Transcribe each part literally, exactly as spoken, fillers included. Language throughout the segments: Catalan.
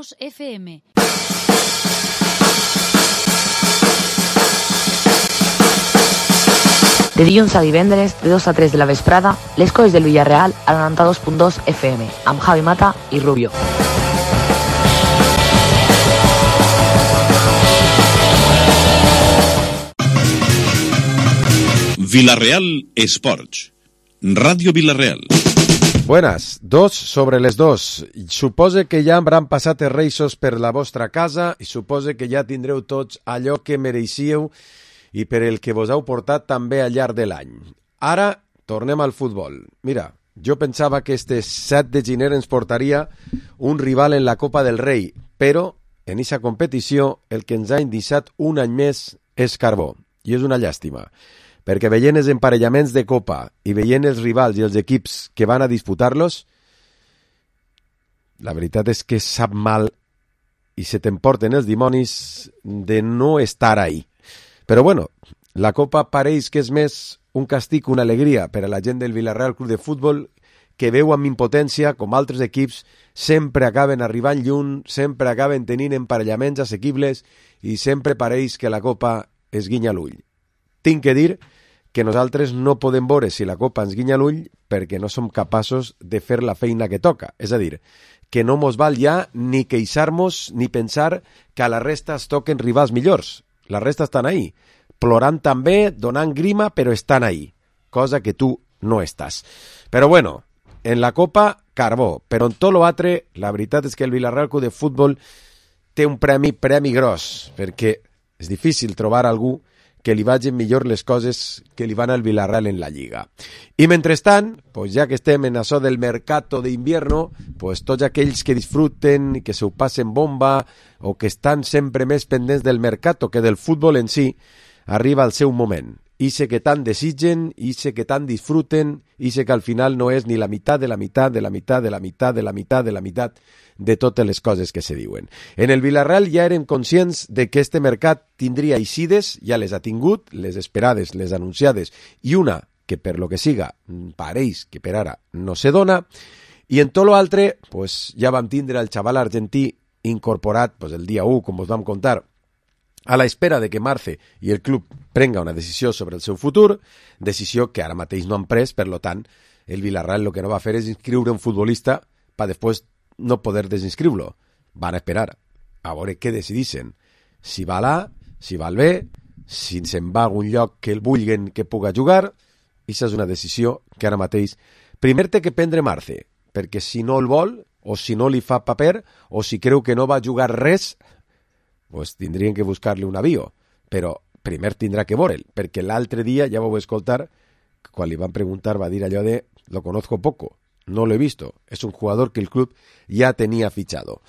F M. De dilluns a divendres, de dos a tres de la vesprada, les coses del Villarreal a noranta-dos punt dos F M, amb Javi Mata i Rubio. Villarreal Esports. Ràdio Villarreal. Buenas, dos sobre les dos. Supose que ja hauran passat els reixos per la vostra casa i supose que ja tindreu tots allò que mereixíeu i per el que vos heu portat també al llarg de l'any. Ara tornem al futbol. Mira, jo pensava que este set de gener ens portaria un rival en la Copa del Rei, però en aquesta competició el que ens ha indissat un any més és carbó, i és una llàstima, perquè veient els emparellaments de Copa i veient els rivals i els equips que van a disputar-los, la veritat és que sap mal i se t'emporten els dimonis de no estar ahí. Però bueno, la Copa pareix que és més un castig, una alegria per a la gent del Villarreal Club de Futbol, que veu amb impotència com altres equips sempre acaben arribant lluny, sempre acaben tenint emparellaments assequibles i sempre pareix que la Copa es guinya l'ull. Tinc que dir que nosaltres no podem veure si la Copa ens guinya l'ull perquè no som capaços de fer la feina que toca. És a dir, que no mos val ja ni queixar-nos ni pensar que a la resta es toquen rivals millors. La resta estan ahí, plorant també, donant grima, però estan ahí, cosa que tu no estàs. Però bueno, en la Copa, carbó, però en tot l'altre, la veritat és que el Villarreal Club de Futbol té un premi, premi gros, perquè és difícil trobar algú que li vagin millor les coses que li van al Villarreal en la Lliga. I mentrestant, pues ja que estem en això del mercato d'invierno, pues tots aquells que disfruten i que se ho passen bomba o que estan sempre més pendents del mercato que del futbol en si, arriba el seu moment. Ixe que tant desitgen, ixe que tant disfruten, ixe que al final no és ni la meitat de la meitat de la meitat de la meitat de la meitat de la meitat de totes les coses que se diuen. En el Villarreal ja érem conscients de que este mercat tindria eixides, ja les ha tingut, les esperades, les anunciades, i una que per lo que siga pareix que per ara no se dona, i en tot l'altre pues, ja vam tindre el xaval argentí incorporat pues, el dia u, com us vam contar, a la espera de que Marce i el club prenga una decisió sobre el seu futur, decisió que ara mateix no han pres, per lo tant, el Villarreal el que no va fer és inscriure un futbolista per després no poder desinscriure-lo. Van a esperar a veure què decidissin. Si va l'A, si va el B, si se'n va a algun lloc que el vulguen que puga jugar, i això és una decisió que ara mateix primer té que prendre Marce, perquè si no el vol, o si no li fa paper, o si creu que no va jugar res, pues tindrien que buscar-li un avió, però primer tindrà que veure'l, perquè l'altre dia, ja vau escoltar, quan li van preguntar va dir allò de lo conozco poco, no lo he visto, es un jugador que el club ya tenía fichado.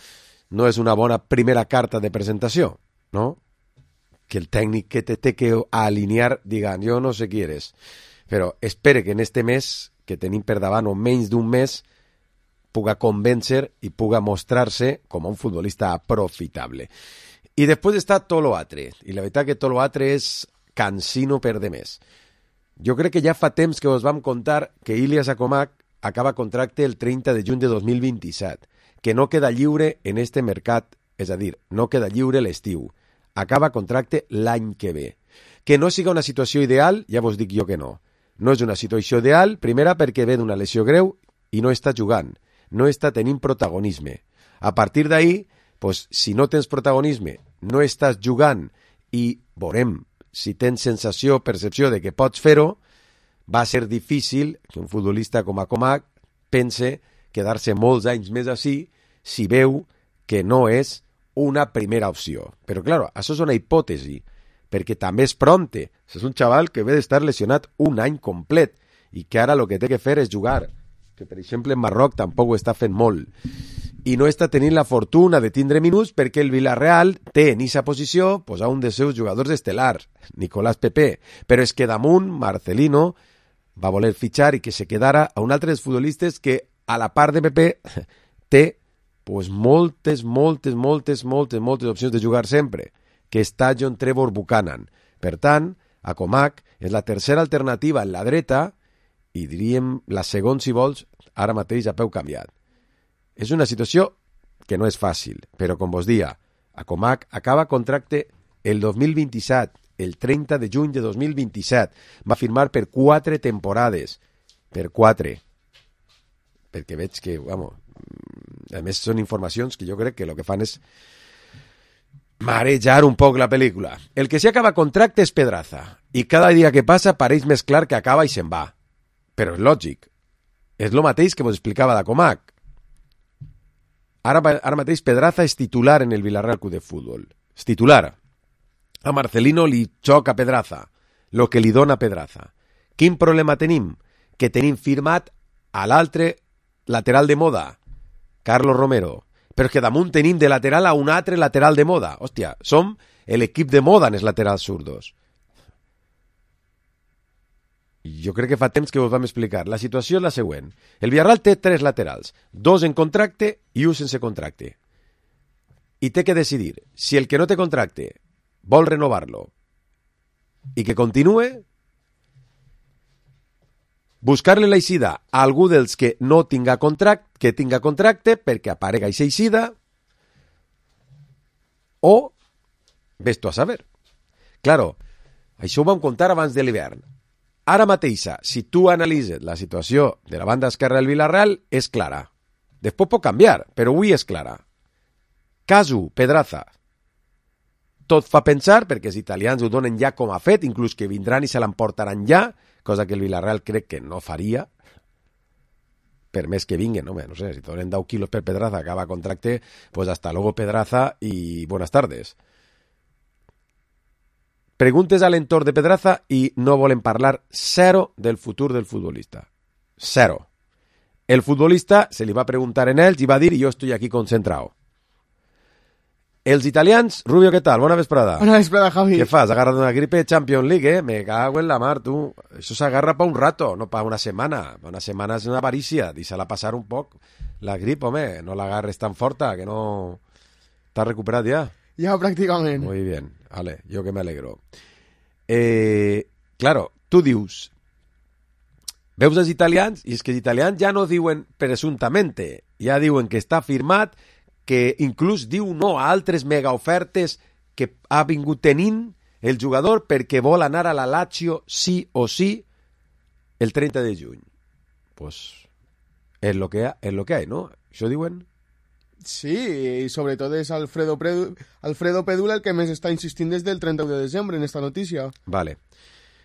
No és una bona primera carta de presentació, no? Que el tècnic que te té que alinear diga, jo no sé qui eres, però espere que en este mes, que tenim per davant o menys d'un mes, puga convèncer i puga mostrar-se com un futbolista aprofitable. I després està tot l'altre, i la veritat que tot l'altre és cansino per demés. Jo crec que ja fa temps que us vam contar que Ilias Acomac acaba contracte el trenta de juny de dos mil vint-i-set, que no queda lliure en este mercat, és a dir, no queda lliure l'estiu. Acaba contracte l'any que ve. Que no siga una situació ideal, ja vos dic jo que no. No és una situació ideal, primera perquè ve d'una lesió greu i no està jugant, no està tenint protagonisme. A partir d'ahí, pues, si no tens protagonisme, no estàs jugant i veurem si tens sensació, percepció de que pots fer-ho, va ser difícil que un futbolista com Acomac pense quedar-se molts anys més així si veu que no és una primera opció. Però, clar, això és una hipòtesi, perquè també és pronte. És un xaval que ve d'estar lesionat un any complet i que ara el que té que fer és jugar, que per exemple en Marroc tampoc ho està fent molt. I no està tenint la fortuna de tindre minuts perquè el Villarreal té en aquesta posició pues, a un dels seus jugadors estel·lars, Nicolás Pepe, però és que damunt Marcelino va voler fitxar i que se quedara a un altre dels futbolistes que a la part de Pepe té pues, moltes, moltes, moltes, moltes, moltes opcions de jugar sempre, que està John Trevor Buchanan. Per tant, Acomac és la tercera alternativa en la dreta i diríem la segona, si vols, ara mateix a peu canviat. És una situació que no és fàcil, però com vos dia, a Comac acaba contracte el dos mil vint-i-set, el trenta de juny de dos mil vint-i-set. Va firmar per quatre temporades. Per quatre. Perquè veig que, vamos, a més són informacions que jo crec que el que fan és marejar un poc la pel·lícula. El que sí acaba contracte és Pedraza, i cada dia que passa pareix més clar que acaba i se'n va. Però és lògic. És el mateix que vos explicava de Comac. Ara, ara mateix Pedraza és titular en el Villarreal Club de Futbol. És titular. A Marcelino li xoca Pedraza, lo que li dona Pedraza. Quin problema tenim? Que tenim firmat a l'altre lateral de moda, Carlos Romero. Però és que damunt tenim de lateral a un altre lateral de moda. Hòstia, som l'equip de moda en els laterals zurdos. Jo crec que fa temps que us vam explicar. La situació és la següent. El Villarreal té tres laterals, dos en contracte i un sense contracte. I té que decidir si el que no té contracte vol renovar-lo i que continue, buscar-li l'eixida a algú dels que no tinga contracte, que tinga contracte perquè aparega aquesta eixida, o ves tu a saber. Claro, això ho vam contar abans de l'hivern. Ara mateixa, si tu analitzes la situació de la banda esquerra del Villarreal, és clara. Després pot canviar, però avui és clara. Casu, Pedraza. Tot fa pensar, perquè els italians ho donen ja com a fet, inclús que vindran i se l'emportaran ja, cosa que el Villarreal crec que no faria, per més que vinguen, no, no sé, si donen deu quilos per Pedraza, acaba contracte, pues hasta luego Pedraza y buenas tardes. Preguntes a l'entorn de Pedraza i no volen parlar zero del futur del futbolista. Zero. El futbolista se li va preguntar en ells i va dir, jo estoy aquí concentrado. Els italians, Rubio, què tal? Bona vesprada. Bona vesprada, Javi. Què fas? Agarra't una gripe Champions League, eh? Me cago en la mar, tu. Això s'agarra pa un rato, no pa una setmana. Una setmana és una avarícia. Deixa-la passar un poc. La grip, home, no l'agarres tan forta, que no... T'has recuperat ja? Ja, pràcticament. Muy bien. Vale, jo que me alegro. Eh, claro, tu dius... Veus els italians? I és que els italians ja no diuen presuntamente. Ja diuen que està firmat, que inclús diu no a altres megaofertes que ha vingut tenint el jugador perquè vol anar a la Lazio sí o sí el trenta de juny. Pues és lo que, és lo que hay, ¿no? Això diuen? Sí, i sobretot és Alfredo, Predu... Alfredo Pedula el que més està insistint des del trenta de desembre en esta notícia. Vale.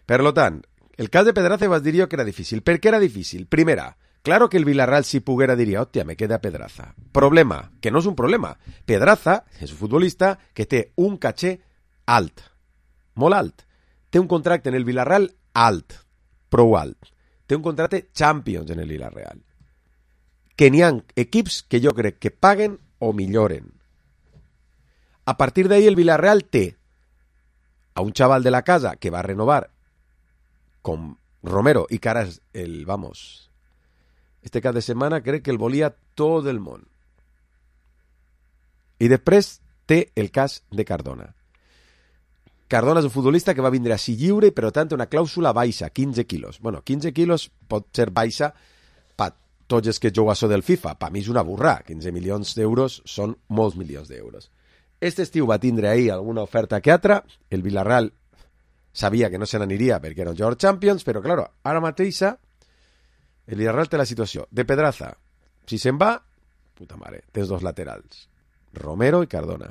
Per lo tant, el cas de Pedraza vas dir jo que era difícil. Per què era difícil? Primera, claro que el Villarreal si poguera diria, hòstia, me queda Pedraza. Problema, que no és un problema. Pedraza és un futbolista que té un caché alt, molt alt. Té un contracte en el Villarreal alt, prou alt. Té un contracte Champions en el Villarreal. Que n'hi ha equips que jo crec que paguen o milloren. A partir d'ahí el Villarreal té a un xaval de la casa que va renovar com Romero i que ara és el, vamos... Este cap de setmana crec que el volia tot el món. I després té el cas de Cardona. Cardona és un futbolista que va vindre així lliure, però tant una clàusula baixa, quinze quilos. Bueno, quinze quilos pot ser baixa per tots els que jugueu del FIFA. Per mi és una burra. quinze milions d'euros són molts milions d'euros. Este estiu va tindre ahir alguna oferta que altra. El Villarreal sabia que no se n'aniria perquè era un jugador Champions, però, claro, ara mateixa el Villarreal té la situació de Pedraza. Si se'n va, puta mare, tens dos laterals, Romero i Cardona.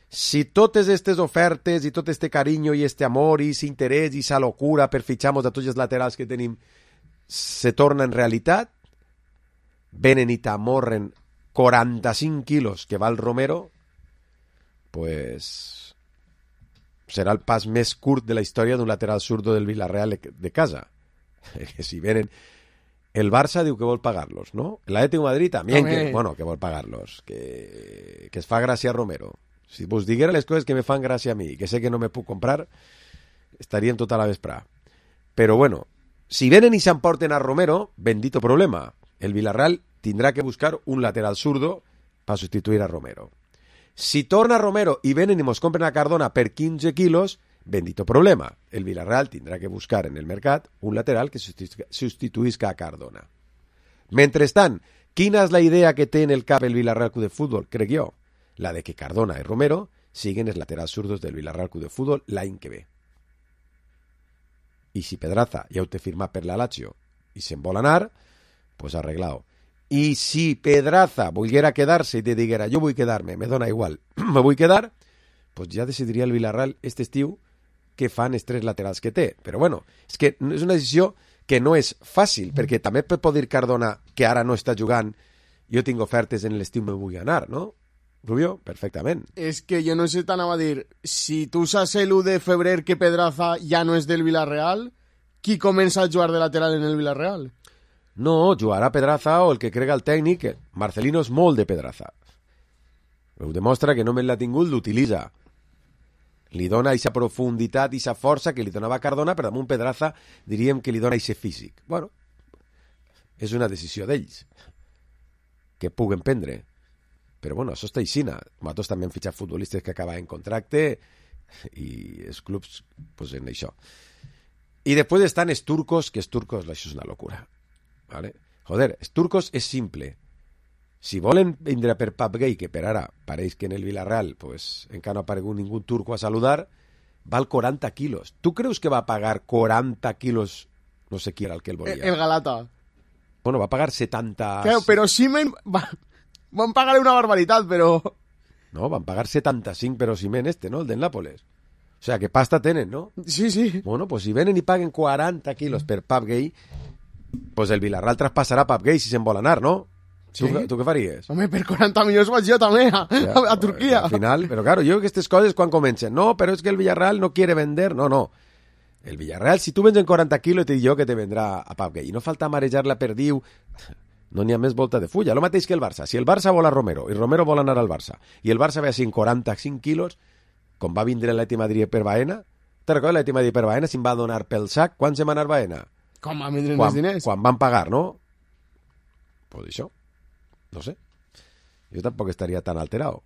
Si totes aquestes ofertes i tot este carinyo i este amor i aquest interès i esa locura per fitxar-nos a tots els laterals que tenim se torna en realitat, venen i t'amorren quaranta-cinc quilos que val Romero, pues serà el pas més curt de la història d'un lateral zurdo del Villarreal de casa. Que si venen... El Barça diu que vol pagar-los, ¿no? El Atlético de Madrid también, que, bueno, que vol pagar-los. Que, que es fa gràcia a Romero. Si vos diguera les coses que me fan gràcia a mi, que sé que no me puc comprar, estaríem tota la vesprà. Però bueno, si venen i s'emporten a Romero, bendito problema. El Villarreal tindrà que buscar un lateral zurdo per substituir a Romero. Si torna Romero i venen i mos compren a Cardona per quinze quilos, bendito problema. El Villarreal tindrà que buscar en el mercat un lateral que substituïsca a Cardona. Mentrestant, Quina és la idea que té en el cap el Villarreal Club de Futbol, crec jo? La de que Cardona i Romero siguen els laterals zurdos del Villarreal Club de Futbol l'any que ve. I si Pedraza ja ho té firmat per la Lazio i se'n vol anar, pues arreglado. I si Pedraza volguera quedar-se i te diguera jo vull quedar-me, me dona igual, me vull quedar, pues ja decidiria el Villarreal este estiu què fan els tres laterals que té. Però bueno, és que és una decisió que no és fàcil, perquè també pot dir Cardona que ara no està jugant, jo tinc ofertes en l'estiu, me vull anar, no? Rubio, perfectament. És que jo no sé, t'anava a dir, si tu saps l'u de febrer que Pedraza ja no és del Villarreal, qui comença a jugar de lateral en el Villarreal? No, jugarà Pedraza o el que crega el tècnic, que Marcelino és molt de Pedraza. Ho demostra que només l'ha tingut, l'utilitza. Li dona aquesta profunditat, aquesta força que li donava Cardona, però damunt Pedraza diríem que li dona aquest físic. Bueno, és una decisió d'ells que puguen prendre. Però bueno, això està aixina. Nosaltres també hem fitxat futbolistes que acaben contracte i els clubs, pues en això. I després estan els turcos, que els turcos, això és una locura. ¿Vale? Joder, els turcos és simple. Si volen vindre per Pap Gay, que per ara pareix que en el Villarreal pues, encara no ha aparegut ningú turco a saludar, val quaranta quilos. Tu creus que va pagar quaranta quilos? No sé qui era el que el volia. El, el Galata. Bueno, va pagar setanta... Claro, però Simen... Va, van pagar una barbaritat, però... No, van pagar setanta-cinc, però Simen este, ¿no? El del Nápoles. O sea, que pasta tenen, ¿no? Sí, sí. Bueno, pues si venen i paguen quaranta quilos per Pap Gay, pues el Villarreal traspasarà Pap Gay si se'n vol anar, no? Sí. Tu, tu què faries? Home, per quaranta milions vaig jo també a, ja, a, a Turquia. Al final, però claro, jo aquestes coses quan comencen, no, però és que el Villarreal no quiere vender, no, no. El Villarreal, si tu vens en quaranta quilos, te dic jo que te vendrà a Pap Gay. I no falta marejar la perdiu, no n'hi ha més volta de fulla. Lo mateix que el Barça. Si el Barça vol a Romero i Romero vol anar al Barça i el Barça ve així en quaranta-cinc quilos, com va vindre l'Atleti Madrid per Baena, te recordes l'Atleti Madrid per Baena, si em va donar pel sac, quan se va anar Baena? Com va vindre quan, els diners? Quan van pagar, no? Pues això. No sé. Jo tampoc estaria tan alterado,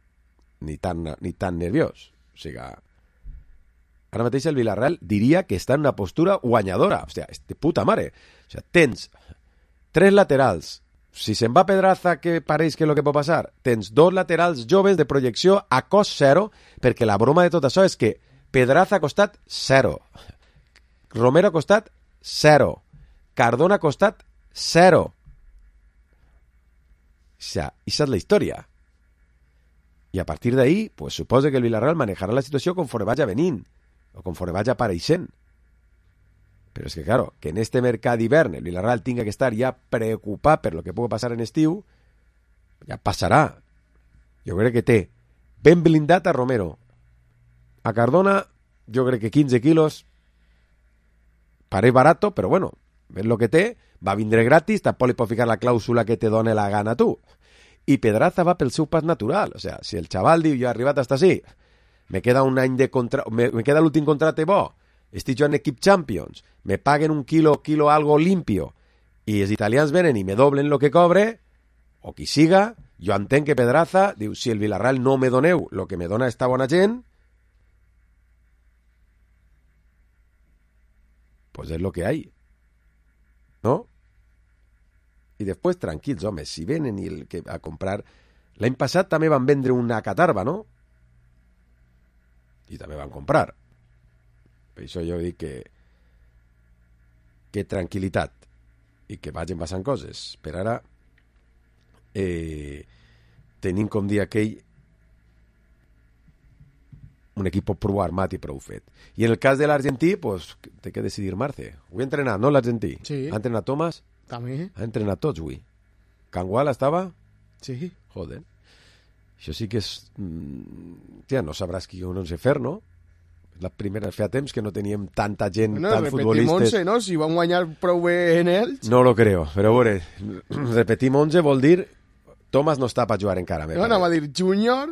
ni tan, ni tan nerviós. O sigui, ara mateix el Villarreal diria que està en una postura guanyadora. Hòstia, de puta mare. O sigui, tens tres laterals. Si se'n va Pedraza, que pareix que és el que pot passar, tens dos laterals joves de projecció a cost zero, perquè la broma de tot això és que Pedraza ha costat zero. Romero ha costat zero. Cardona ha costat zero. O sea, esa es la historia. Y a partir de ahí, pues suposa que el Villarreal manejará la situació conforme vaya venint, o conforme vaya apareixent. Però és que, claro, que en este mercat d'hivern el Villarreal tinga que estar ja preocupat per lo que pugui passar en estiu, ja passarà. Jo crec que té ben blindat a Romero. A Cardona, jo crec que quinze quilos pareix barato, però bueno, ves lo que té, va vindre gratis, tampoc li pot ficar la clàusula que te done la gana tu. I Pedraza va pel seu pas natural. O sea, si el xaval diu, jo he arribat hasta així, me queda un any de contracte, me, me queda l'últim contracte bo, estic jo en equip Champions, me paguen un quilo, quilo algo limpio, i els italians venen i me doblen lo que cobre, o qui siga, jo entenc que Pedraza diu, si el Villarreal no me doneu lo que me dona esta bona gent, pues és lo que hay. ¿No? I després, tranquils, home, si venen i el que a comprar... L'any passat també van vendre una catarba, no? I també van comprar. Per això jo dic que... que tranquil·litat i que vagin passant coses. Per ara, eh, tenim, com dir aquell, un equip prou armat i prou fet. I en el cas de l'argentí, pues, té que decidir Marce. Ho ha entrenat, no, l'argentí? Sí. Ha entrenat Thomas? També. Ha entrenat tots, avui. Cangual estava? Sí. Joder. Això sí que és... Tia, no sabràs qui no sé fer, no? La primera, feia temps que no teníem tanta gent, bueno, tant futbolistes... onze, no? Si van guanyar prou bé en ells... No lo creo, però a veure, repetim onze vol dir Thomas no està per jugar encara. No, anava a dir Júnior,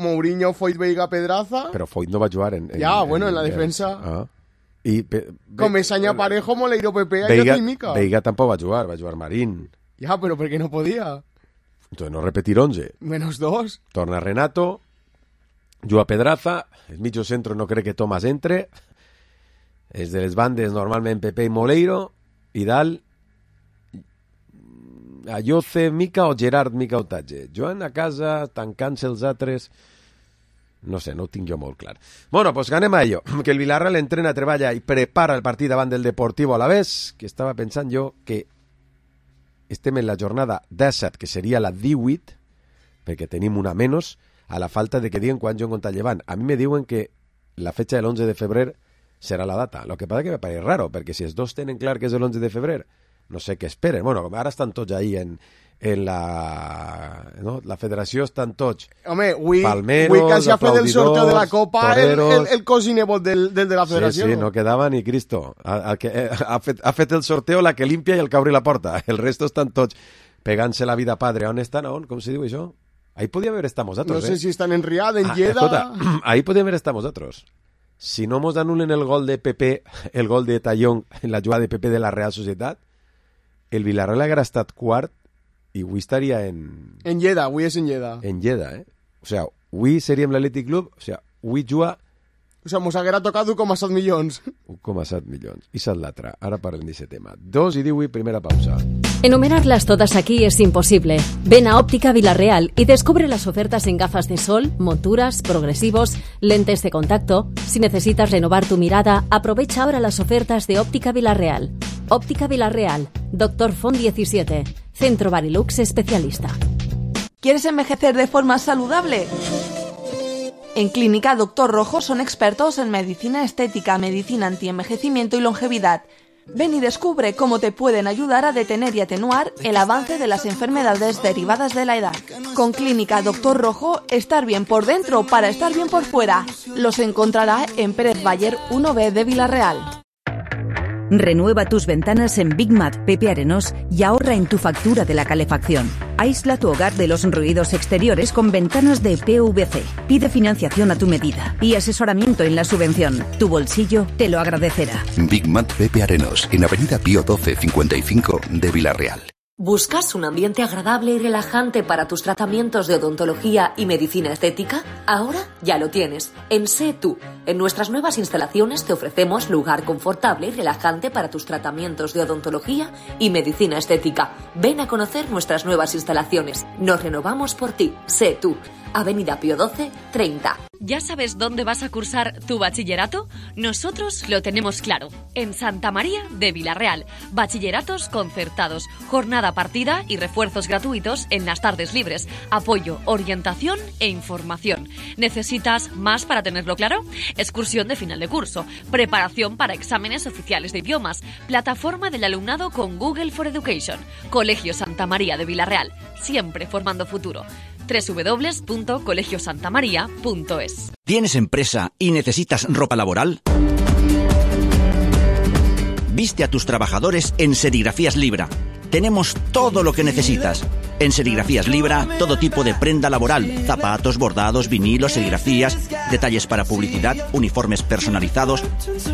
Mourinho, Foyt, Veiga, Pedraza... Però Foyt no va jugar en... en ja, en, bueno, en la en, defensa... Ah. I pe, com Esaña Parejo, Moleiro, Pepe, Veiga, i Mica. Veiga tampoc va jugar, va jugar Marín. Ja, però perquè no podia. Entonces no repetir once. Menos dos. Torna Renato, juga Pedraza, el mitjo centro no crec que Thomas entre, és de les bandes normalment Pepe i Moleiro, i dalt Ayoce Mica o Gerard Mica Otatge. Joan a casa, tancant-se els altres... No sé, no ho tinc jo molt clar. Bueno, pues anem a ello. Que el Villarreal entrena, treballa i prepara el partit davant del Deportivo Alavés, que estava pensant jo que estem en la jornada disset, que seria la divuit, perquè tenim una menys, a la falta de que diguen quan jo contra llevant. A mi me diuen que la fecha del once de febrer serà la data. Lo que passa que me pareix raro, perquè si els dos tenen clar que és el once de febrer, no sé què esperen. Bueno, ara estan tots ahí en... en la, no? La federació estan tots Home, avui, palmeros, avui quasi ha fet el sorteo de la Copa toreros, el, el, el cos i nebot del, del de la federació. Sí, sí, no quedava ni Cristo. Ha, ha, ha, fet, ha fet el sorteo la que limpia i el que obri la porta. El resto estan tots pegant-se la vida padre. On estan? On? Com se diu això? Ahí podía haber estado vosotros, No sé eh? si están en Riad, en Ah, Lleida... escolta, ahí podía haber estado vosotros. Si no nos anulen el gol de Pepe, el gol de Tallón en la jugada de Pepe de la Real Societat, el Villarreal haguera estat quart i avui estaria en... En Lleida, avui és en Lleida. En Lleida, eh? O sea, avui seríem l'Atlètic Club, o sea, avui juga O sea, mos haguera tocat un coma set milions. un coma set milions. I s'ha l'altra. Ara parlem d'aquest tema. dos i divuit, primera pausa. Enumerarlas todas aquí es imposible. Ven a Óptica Villarreal y descubre las ofertas en gafas de sol, monturas, progresivos, lentes de contacto. Si necesitas renovar tu mirada, aprovecha ahora las ofertas de Óptica Villarreal. Óptica Villarreal, Doctor Font diecisiete, Centro Barilux Especialista. ¿Quieres envejecer de forma saludable? En Clínica Doctor Rojo son expertos en medicina estética, medicina antienvejecimiento y longevidad. Ven y descubre cómo te pueden ayudar a detener y atenuar el avance de las enfermedades derivadas de la edad. Con Clínica Doctor Rojo, estar bien por dentro para estar bien por fuera. Los encontrará en Pérez Bayer uno B de Villarreal. Renueva tus ventanas en Big Mat Pepe Arenós y ahorra en tu factura de la calefacción. Aísla tu hogar de los ruidos exteriores con ventanas de P V C. Pide financiación a tu medida y asesoramiento en la subvención. Tu bolsillo te lo agradecerá. Big Mat Pepe Arenós, en Avenida Pío doce cincuenta y cinco de Villarreal. ¿Buscas un ambiente agradable y relajante para tus tratamientos de odontología y medicina estética? Ahora ya lo tienes. En Sé Tú. En nuestras nuevas instalaciones te ofrecemos lugar confortable y relajante para tus tratamientos de odontología y medicina estética. Ven a conocer nuestras nuevas instalaciones. Nos renovamos por ti. Sé Tú. Avenida Pío doce treinta. ¿Ya sabes dónde vas a cursar tu bachillerato? Nosotros lo tenemos claro. En Santa María de Villarreal. Bachilleratos concertados, jornada partida y refuerzos gratuitos en las tardes libres. Apoyo, orientación e información. ¿Necesitas más para tenerlo claro? Excursión de final de curso, preparación para exámenes oficiales de idiomas, plataforma del alumnado con Google for Education. Colegio Santa María de Villarreal. Siempre formando futuro. doble u doble u doble u punto colegio santa maría punto es. ¿Tienes empresa y necesitas ropa laboral? Viste a tus trabajadores en Serigrafías Libra. Tenemos todo lo que necesitas. En Serigrafías Libra, todo tipo de prenda laboral, zapatos, bordados, vinilos, serigrafías, detalles para publicidad, uniformes personalizados.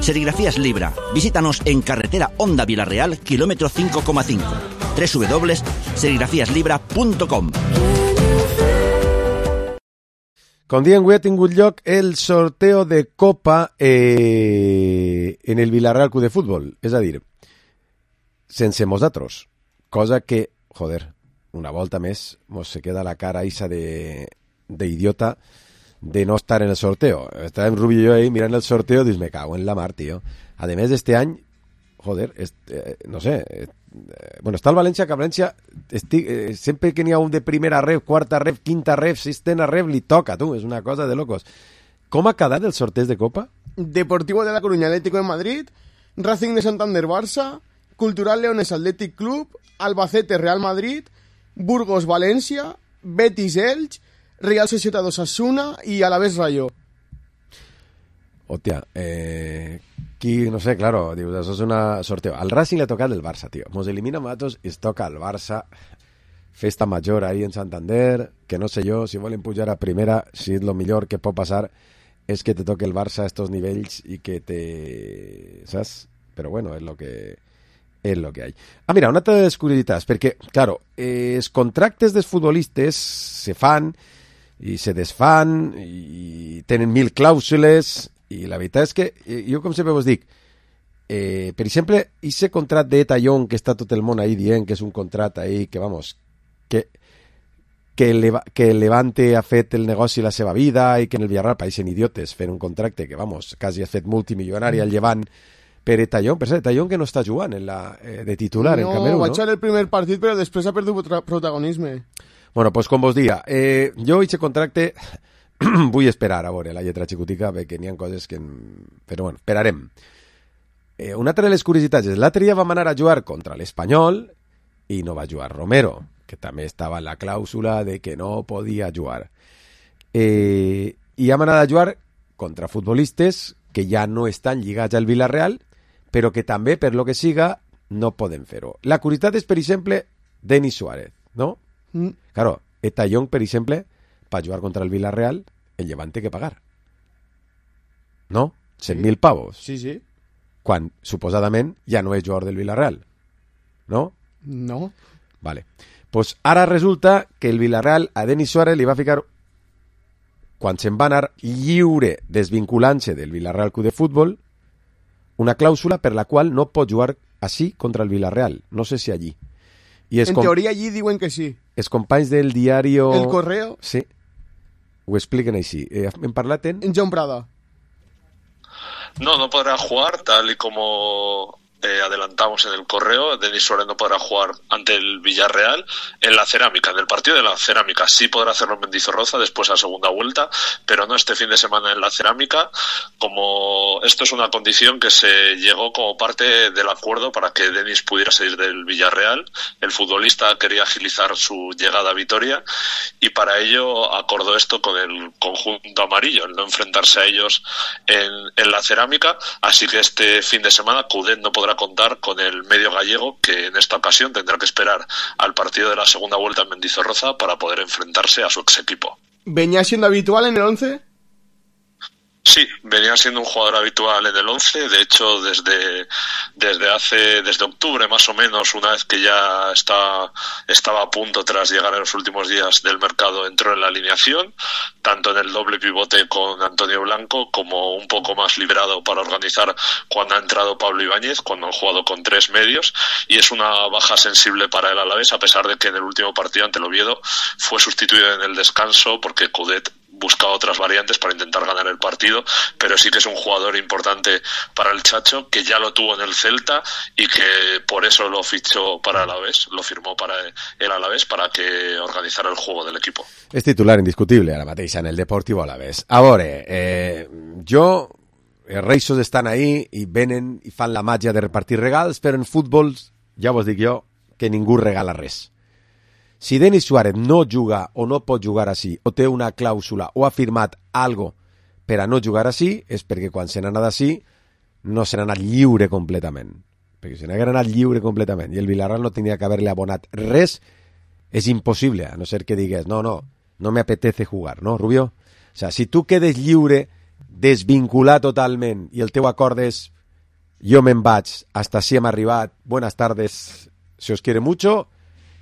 Serigrafías Libra. Visítanos en carretera Honda Villarreal, kilómetro cinco coma cinco. doble u doble u doble u punto serigrafías libra punto com. Com diem, avui ha tingut lloc el sorteo de Copa eh, en el Villarreal Club de Futbol. És a dir, sense nosaltres. Cosa que, joder, una volta més mos se queda la cara isa de d'idiota de no estar en el sorteo. Estàvem Rubi i jo ahí mirant el sorteo i dius, me cago en la mar, tio. A més, este any, joder, este, no sé... Eh, bueno, està el València, que a València estic, eh, sempre que n'hi ha un de primera ref, quarta ref, quinta ref, sisena ref, li toca, tu, és una cosa de locos. Com ha quedat el sorteig de Copa? Deportivo de la Coruña, Atlético de Madrid, Racing de Santander, Barça, Cultural Leones, Athletic Club, Albacete, Real Madrid, Burgos, València, Betis, Elx, Real Sociedad Osasuna i Alavés Rayo. Hòstia, eh... Aquí, no sé, claro, dius, això és una sorteo. Al Racing le toca el Barça, tio. Mos elimina Matos i es toca el Barça. Festa major ahí en Santander, que no sé jo, si volen pujar a primera, si és lo millor que pot passar és que te toque el Barça a estos nivells i que te... ¿sabes? Però bueno, és lo que... és lo que hay. Ah, mira, una altra de les curiositats, perquè, claro, eh, els contractes dels futbolistes se fan i se desfan i tenen mil clàusules. I la veritat és que, jo com sempre vos dic, eh, per exemple, ese contrat de Tallón que està tot el món ahí dient que és un contrat ahí que, vamos, que que, Leva, que el Levante ha fet el negoci la seva vida i que en el Villarreal pareixen idiotes fent un contracte que, vamos, quasi ha fet multimilionari al Llevant per Tallón. Per cert, Tallón que no està jugant en la, eh, de titular no, en Camerún, va no? va jugar el primer partit però després ha perdut protagonisme. Bueno, pues com vos dia, eh, jo aquest contracte vull esperar a veure la lletra xicotica perquè n'hi ha coses que... Però bueno, esperarem. Eh, una altra de les curiositats és l'altre dia vam anar a jugar contra l'Espanyol i no va jugar Romero, que també estava en la clàusula de que no podia jugar. Eh, I hem anat a jugar contra futbolistes que ja no estan lligats al Villarreal, però que també, per lo que siga, no poden fer-ho. La curiositat és, per exemple, Denis Suárez, no? Mm. Claro, Tallón, per exemple, per jugar contra el Villarreal, el Llevant té que pagar. No? cent mil pavos. Sí, sí. Quan, suposadament, ja no és jugador del Villarreal. No? No. Vale. Pues ara resulta que el Villarreal a Denis Suárez li va ficar, quan se'n va anar lliure desvinculant-se del Villarreal Club de Futbol, una clàusula per la qual no pot jugar així contra el Villarreal. No sé si allí. I en teoria allí diuen que sí. Els companys del diari... El Correo. Sí. Ho expliquen així. Eh, hem parlat en... En John Prada. No, no podrá jugar tal y como eh, adelantamos en el correo. Denis Suárez no podrá jugar ante el Villarreal en la Cerámica, en el partido de la Cerámica. Sí podrá hacerlo en Mendizorroza después a segunda vuelta, pero no este fin de semana en la Cerámica. Como esto es una condición que se llegó como parte del acuerdo para que Denis pudiera salir del Villarreal. El futbolista quería agilizar su llegada a Vitoria y para ello acordó esto con el conjunto amarillo, el no enfrentarse a ellos en, en la Cerámica. Así que este fin de semana Coudet no podrá contar con el medio gallego, que en esta ocasión tendrá que esperar al partido de la segunda vuelta en Mendizorroza para poder enfrentarse a su ex equipo. ¿Venía siendo habitual en el once? Sí, venía siendo un jugador habitual en el once. De hecho, desde desde hace desde octubre más o menos, una vez que ya está estaba a punto tras llegar en los últimos días del mercado, entró en la alineación, tanto en el doble pivote con Antonio Blanco como un poco más liberado para organizar cuando ha entrado Pablo Ibáñez, cuando han jugado con tres medios, y es una baja sensible para el Alavés, a pesar de que en el último partido ante el Oviedo fue sustituido en el descanso porque Coudet buscaba otras variantes para intentar ganar el partido, pero sí que es un jugador importante para el Chacho, que ya lo tuvo en el Celta y que por eso lo fichó para el Alavés, lo firmó para el Alavés para que organizara el juego del equipo. És titular indiscutible ara mateix en el Deportivo Alavés. A veure, eh, jo, els reixos estan ahí i venen i fan la màgia de repartir regals, però en futbol, ja vos dic jo, que ningú regala res. Si Denis Suárez no juga o no pot jugar així, o té una clàusula o ha firmat algo per a no jugar així, és perquè quan se n'ha anat així no se n'ha anat lliure completament. Perquè si n'hagués anat lliure completament i el Villarreal no tenia que haver-li abonat res, és impossible, a no ser que digués, no, no, no me apetece jugar, ¿no, Rubio? O sea, si tu quedes lliure, desvinculat totalment, i el teu acord és jo me'n vaig, hasta si hem arribat, buenas tardes, se os quiere mucho,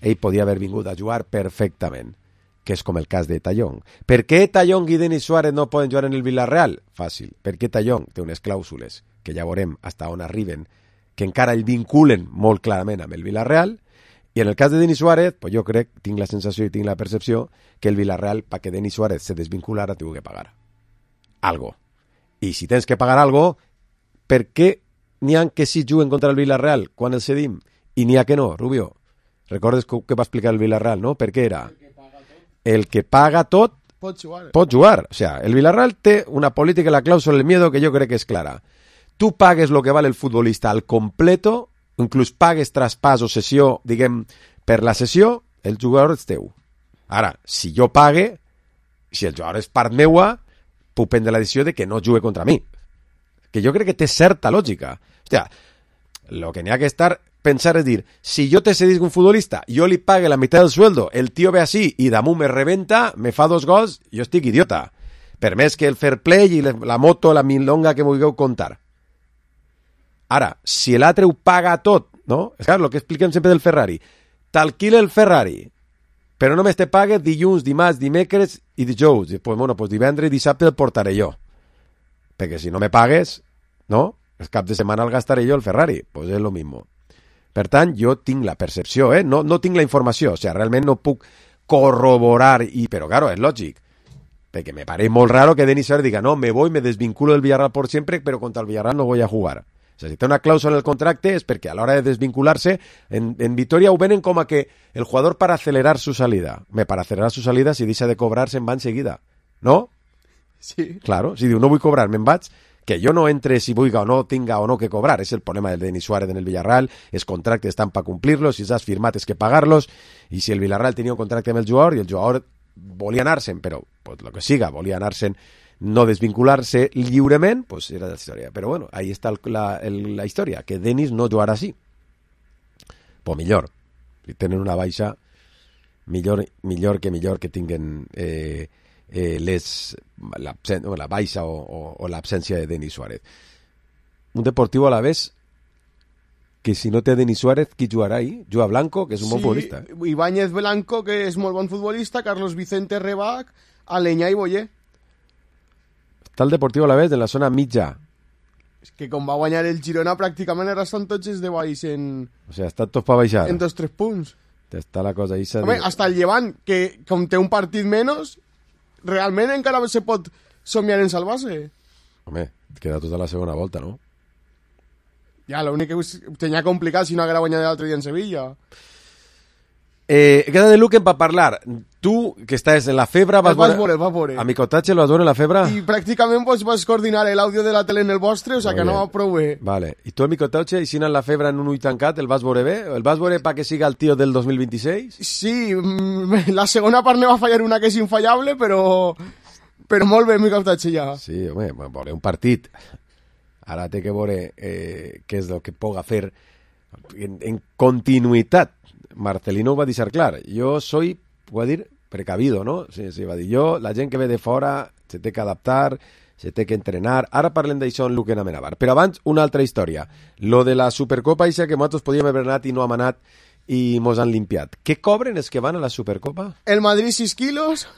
ell podia haver vingut a jugar perfectament, que és com el cas de Tallón. Per què Tallón i Denis Suárez no poden jugar en el Villarreal? Fàcil, perquè Tallón té unes clàusules, que ja veurem hasta on arriben, que encara el vinculen molt clarament amb el Villarreal, i en el cas de Denis Suárez, pues jo crec, tinc la sensació i tinc la percepció, que el Villarreal, perquè Denis Suárez se desvinculara, té que pagar algo. I si tens que pagar algo, per què n'hi ha que sí juguen contra el Villarreal quan el cedim i n'hi ha que no, Rubio? Recordes que va explicar el Villarreal, no? Per què era? El que paga tot pot jugar. Pot jugar. O sea, el Villarreal té una política, la cláusula del miedo, que jo crec que és clara. Tu pagues lo que vale el futbolista al completo, inclús pagues traspàs o sessió, diguem, per la sessió, el jugador és teu. Ara, si jo pague, si el jugador és part meua, puc prendre la decisió de que no jugue contra mi. Que jo crec que té certa lògica. Hòstia, lo que n'hi ha que estar... pensar es dir, si yo te cedisc un futbolista, yo li pague la mitad del sueldo, el tío ve así y damunt me reventa, me fa dos gols, jo estic idiota. Per més que el fair play i la moto, la milonga que vulgueu contar. Ara, si l'altre ho paga tot, no? És clar, el que expliquem sempre del Ferrari. T'alquila el Ferrari, però només te pague dilluns, dimarts, dimecres i dijous. Pues, bueno, pues divendres i dissabte el portaré jo. Perquè si no me pagues, no? el cap de setmana el gastaré jo el Ferrari, pues és lo mismo. Per tant, jo tinc la percepció, eh? no, no tinc la informació, o sigui, realment no puc corroborar, i, però claro, és lògic, perquè me parece molt raro que Denis Suárez diga, no, me voy, me desvinculo del Villarreal por siempre, pero contra el Villarreal no voy a jugar. O sea, si té una cláusula en el contracte és perquè a l'hora de desvincular-se, en, en Vitoria ho venen com a que el jugador para acelerar su salida. Me para acelerar su salida, si deixa de cobrar, se'n va enseguida. ¿No? Sí. Claro, si diu, no vull cobrar, me'n vaig, que jo no entre si vulga o no, tinga o no que cobrar. És el problema del Denis Suárez en el Villarreal, els contractes estan per complir-los, si has firmat és que pagar-los, i si el Villarreal tenia un contracte amb el jugador i el jugador volia anar-se'n, però pues, lo que siga, volia anar-se'n, no desvincular-se lliurement, pues era la història. Però bueno, ahí està el, la, el, la història, que Denis no jugarà així. Pues millor, si tenen una baixa, millor, millor que millor que tinguen eh, eh, les, la, la baixa o, o, o l'absència de Denis Suárez. Un Deportivo a la vez que si no té Denis Suárez, qui jugarà ahí? Juga Blanco, que és un sí, bon futbolista. Ibáñez Blanco, que és molt bon futbolista, Carlos Vicente Rebac, Aleñà i Boyer. Està el Deportivo a la vez en la zona mitja. És que com va guanyar el Girona pràcticament ara estan tots els de baix en... O sigui, està tot per baixar. En dos tres punts. Està la cosa ahí. Home, hasta el Llevant, que com té un partit menys, realment encara se pot somiar en salvar-se. Home, queda tota la segona volta, no? Ja, l'únic que tenia complicat si no haguera guanyat l'altre dia en Sevilla. Eh, queda de Luquen per parlar. Tu, que estàs en la febre... Vas, vas veure, vas veure. A mi cotatge el vas veure en la febre? I pràcticament pues, vas coordinar l'àudio de la tele en el vostre, o sigui que anava prou bé. Vale. I tu a mi cotatge, i si en la febre en un ull tancat, el vas veure bé? El vas veure pa que siga el tio del dos mil vint-i-sis? Sí, la segona part ne va fallar una que és infallable, però... Però molt bé, mi cotatge ja. Sí, home, veure un partit. Ara té que veure eh, què és el que puga fer en, en continuïtat. Marcelino ho va deixar clar. Jo soy, ho va dir, precavido, no? Sí, sí, va dir jo, la gent que ve de fora se té que adaptar, se té que entrenar. Ara parlem d'això en Luquen Amenabar. Però abans, una altra història. Lo de la Supercopa, això que nosaltres podíem haver anat i no hem anat i mos han limpiat. Què cobren els que van a la Supercopa? El Madrid sis quilos,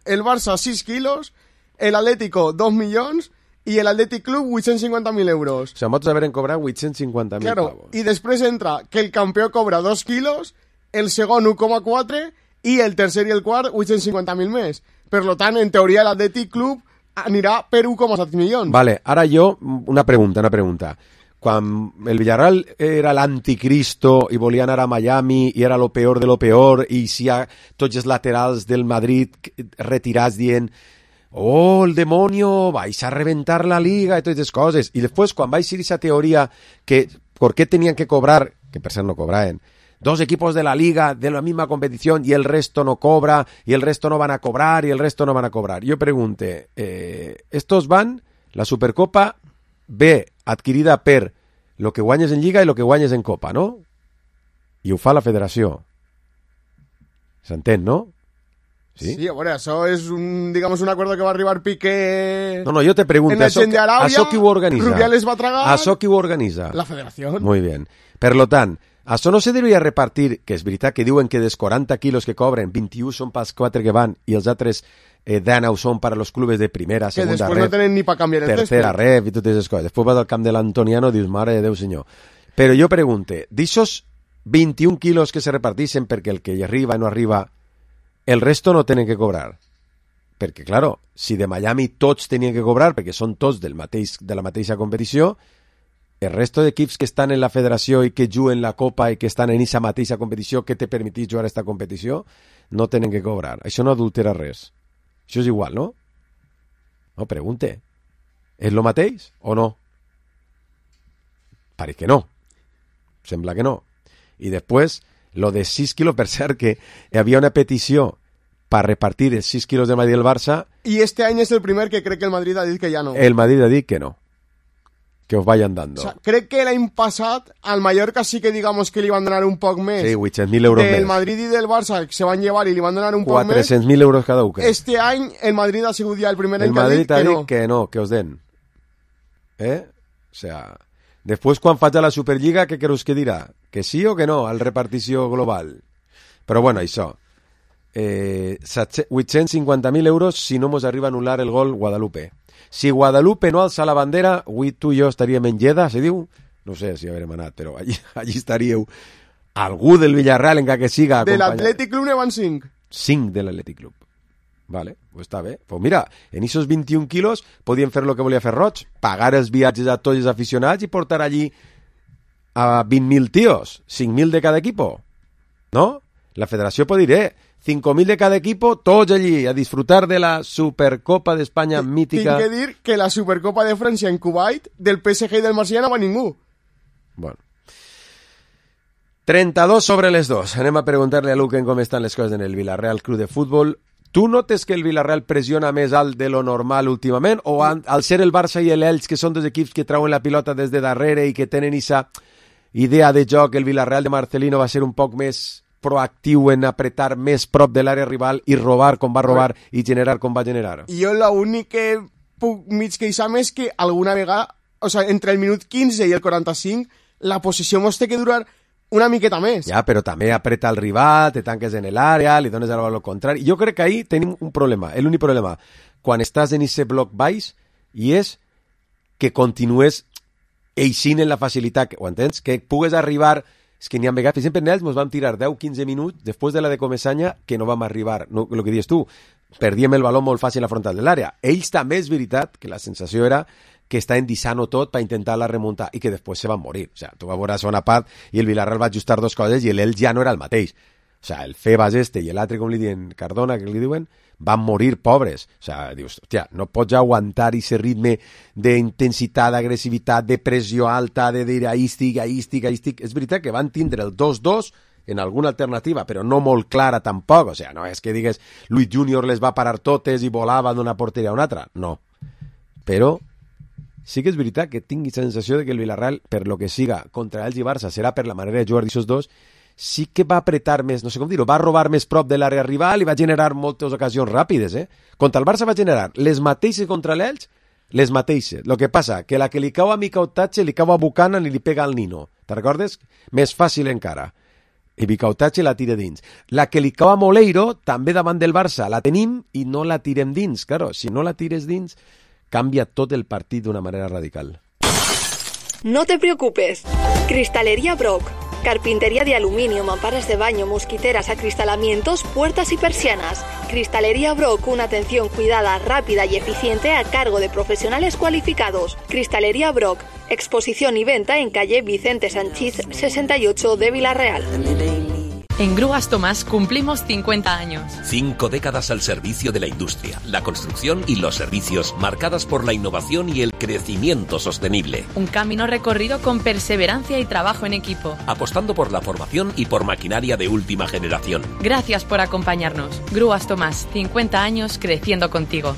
el Barça sis quilos, el Atlético dos milions i el Athletic Club vuit-cents cinquanta mil euros. O sigui, nosaltres haurem cobrat vuit-cents cinquanta mil claro, pavos. I després entra que el campió cobra dos quilos, el segon u coma quatre i el tercer i el quart vuit-cents cinquanta mil més. Per lo tant, en teoria, l'Athletic Club anirà per u coma set milions. Vale, ara jo, una pregunta, una pregunta. Quan el Villarreal era l'anticristo i volia anar a Miami i era lo peor de lo peor i si ha tots els laterals del Madrid retirats dient oh, el demonio, vais a reventar la liga y todas esas cosas. Y después, cuando vais a ir esa teoría que por qué tenían que cobrar, que per ser no cobraen, dos equipos de la liga de la misma competición y el resto no cobra, y el resto no van a cobrar, y el resto no van a cobrar. Yo pregunte, eh, estos van, la Supercopa ve adquirida per lo que guanyes en Lliga i lo que guanyes en Copa, no? I ho fa la federació. S'entén, no? Sí, sí, a veure, això és un, digamos, un acuerdo que va arribar Piqué... No, no, yo te pregunto, en el ¿això, de Arabia, ¿això qui ho organitza? Rubiales va tragar... ¿Això qui ho organitza? La federació. Muy bien. Per lo tant, això no se devia repartir, que és veritat que diuen que dels quaranta quilos que cobren, vint-i-u són pels quatre que van i els altres eh, deu són per a los clubes de primera, que segunda després ref, no tenen ni per canviar el tercera ref i totes les coses. Després vas al camp de l'Antoniano i dius, mare de Déu senyor. Però jo pregunte, d'aixòs vint-i-un quilos que se reparteixen perquè el que hi arriba i no arriba, el resto no tenen que cobrar. Perquè, claro, si de Miami tots tenien que cobrar, perquè són tots del mateix, de la mateixa competició, el resto d'equips que estan en la federació i que juguen la Copa i que estan en aquesta mateixa competició que te permetís jugar a aquesta competició, no tenen que cobrar. Això no adultera res. Això és igual, no? No, pregunte. És lo mateix o no? Pareix que no. Sembla que no. I després, lo de sis quilos, per cert que hi havia una petició per repartir els sis quilos de Madrid i el Barça. I este any és el primer que crec que el Madrid ha dit que ja no. El Madrid ha dit que no. Que os vayan dando. O sea, crec que l'any passat al Mallorca sí que digamos que li van donar un poc més. Sí, vuit-cents mil euros del més. Del Madrid i del Barça se van llevar i li van donar un poc més. quatre-cents mil euros cada un. Este any el Madrid ha sigut ja el primer el any que ha dit ha que dit no. que no, que os den. ¿Eh? O sea, después quan faig a la Superliga, què creus que dirà? Que sí o que no al repartició global? Però bueno, això. eh, vuit-cents cinquanta mil euros si no mos arriba a anul·lar el gol Guadalupe. Si Guadalupe no alça la bandera, avui tu i jo estaríem en Lleida, se diu? No sé si haurem anat, però allí, allí estaríeu. Algú del Villarreal, encara que siga... De l'Atlètic Club ne van cinc. Cinc de l'Atlètic Club. Vale, pues està bé. Pues mira, en esos vint-i-un quilos podien fer el que volia fer Roig, pagar els viatges a tots els aficionats i portar allí a vint mil tios, cinc mil de cada equipo. ¿No? La federació pot dir, eh, cinco mil de cada equipo, tots allí, a disfrutar de la Supercopa d'Espanya mítica. Tinc que dir que la Supercopa de França en Kuwait, del P S G i del Marsella no va ningú. Bueno. trenta-dos sobre les dos. Anem a preguntar-li a Luquen com estan les coses en el Villarreal Club de Futbol. Tu notes que el Villarreal pressiona més alt de lo normal últimament? O an, al ser el Barça i l'Elx, que són dos equips que trauen la pilota des de darrere i que tenen esa idea de joc, el Villarreal de Marcelino va ser un poc més proactiu en apretar més prop de l'àrea rival i robar com va robar i generar com va generar? Jo l'únic que puc mig queixar-me és que alguna vegada, o sea, entre el minut quinze i el quaranta-cinc, la possessió mos té que durar una miqueta més. Ja, però també apreta el rival, te tanques en l'àrea, li dones el valor contrari. Jo crec que ahí tenim un problema, l'únic problema, quan estàs en aquest bloc baix, i és que continues eixint en la facilitat, ho entens? Que pugues arribar... És que n'hi ha vegades, per exemple, en ells ens vam tirar deu a quinze minuts després de la de Comesaña que no vam arribar, no, el que dius tu, perdíem el baló molt fàcil a la frontal de l'àrea. Ells també és veritat que la sensació era que està endissant-ho tot per intentar la remuntar i que després se van morir. O sigui, tu vas veure a segona part i el Villarreal va ajustar dos coses i l'Elx ja no era el mateix. O sigui, el Febas este i l'altre, com li diuen, Cardona, que li diuen, van morir pobres. O sigui, dius, hòstia, no pots aguantar aquest ritme d'intensitat, d'agressivitat, de pressió alta, de dir ahí estic, ahí estic, ahí estic. És veritat que van tindre el dos dos en alguna alternativa, però no molt clara tampoc. O sigui, no és que digues Luis Junior les va parar totes i volava d'una porteria a una altra. No. Però sí que és veritat que tinc la sensació de que el Villarreal, per lo que siga, contra Elx i Barça, serà per la manera de jugar d'aquests dos, sí que va apretar més, no sé com dir-ho, va robar més prop de l'àrea rival i va generar moltes ocasions ràpides, eh? Contra el Barça va generar les mateixes contra l'Elx, les mateixes. Lo que passa, que la que li cau a Micautache li cau a Buchanan i li pega al Nino. Te recordes? Més fàcil encara. I Micautache la tira dins. La que li cau a Moleiro, també davant del Barça, la tenim i no la tirem dins. Claro, si no la tires dins, canvia tot el partit d'una manera radical. No te preocupes. Cristalería Brock. Carpintería de aluminio, mamparas de baño, mosquiteras, acristalamientos, puertas y persianas. Cristalería Brock, una atención cuidada, rápida y eficiente a cargo de profesionales cualificados. Cristalería Brock, exposición y venta en calle Vicente Sanchís sesenta y ocho de Villarreal. En Grúas Tomás cumplimos cincuenta años. Cinco décadas al servicio de la industria, la construcción y los servicios, marcadas por la innovación y el crecimiento sostenible. Un camino recorrido con perseverancia y trabajo en equipo. Apostando por la formación y por maquinaria de última generación. Gracias por acompañarnos. Grúas Tomás, cincuenta años creciendo contigo.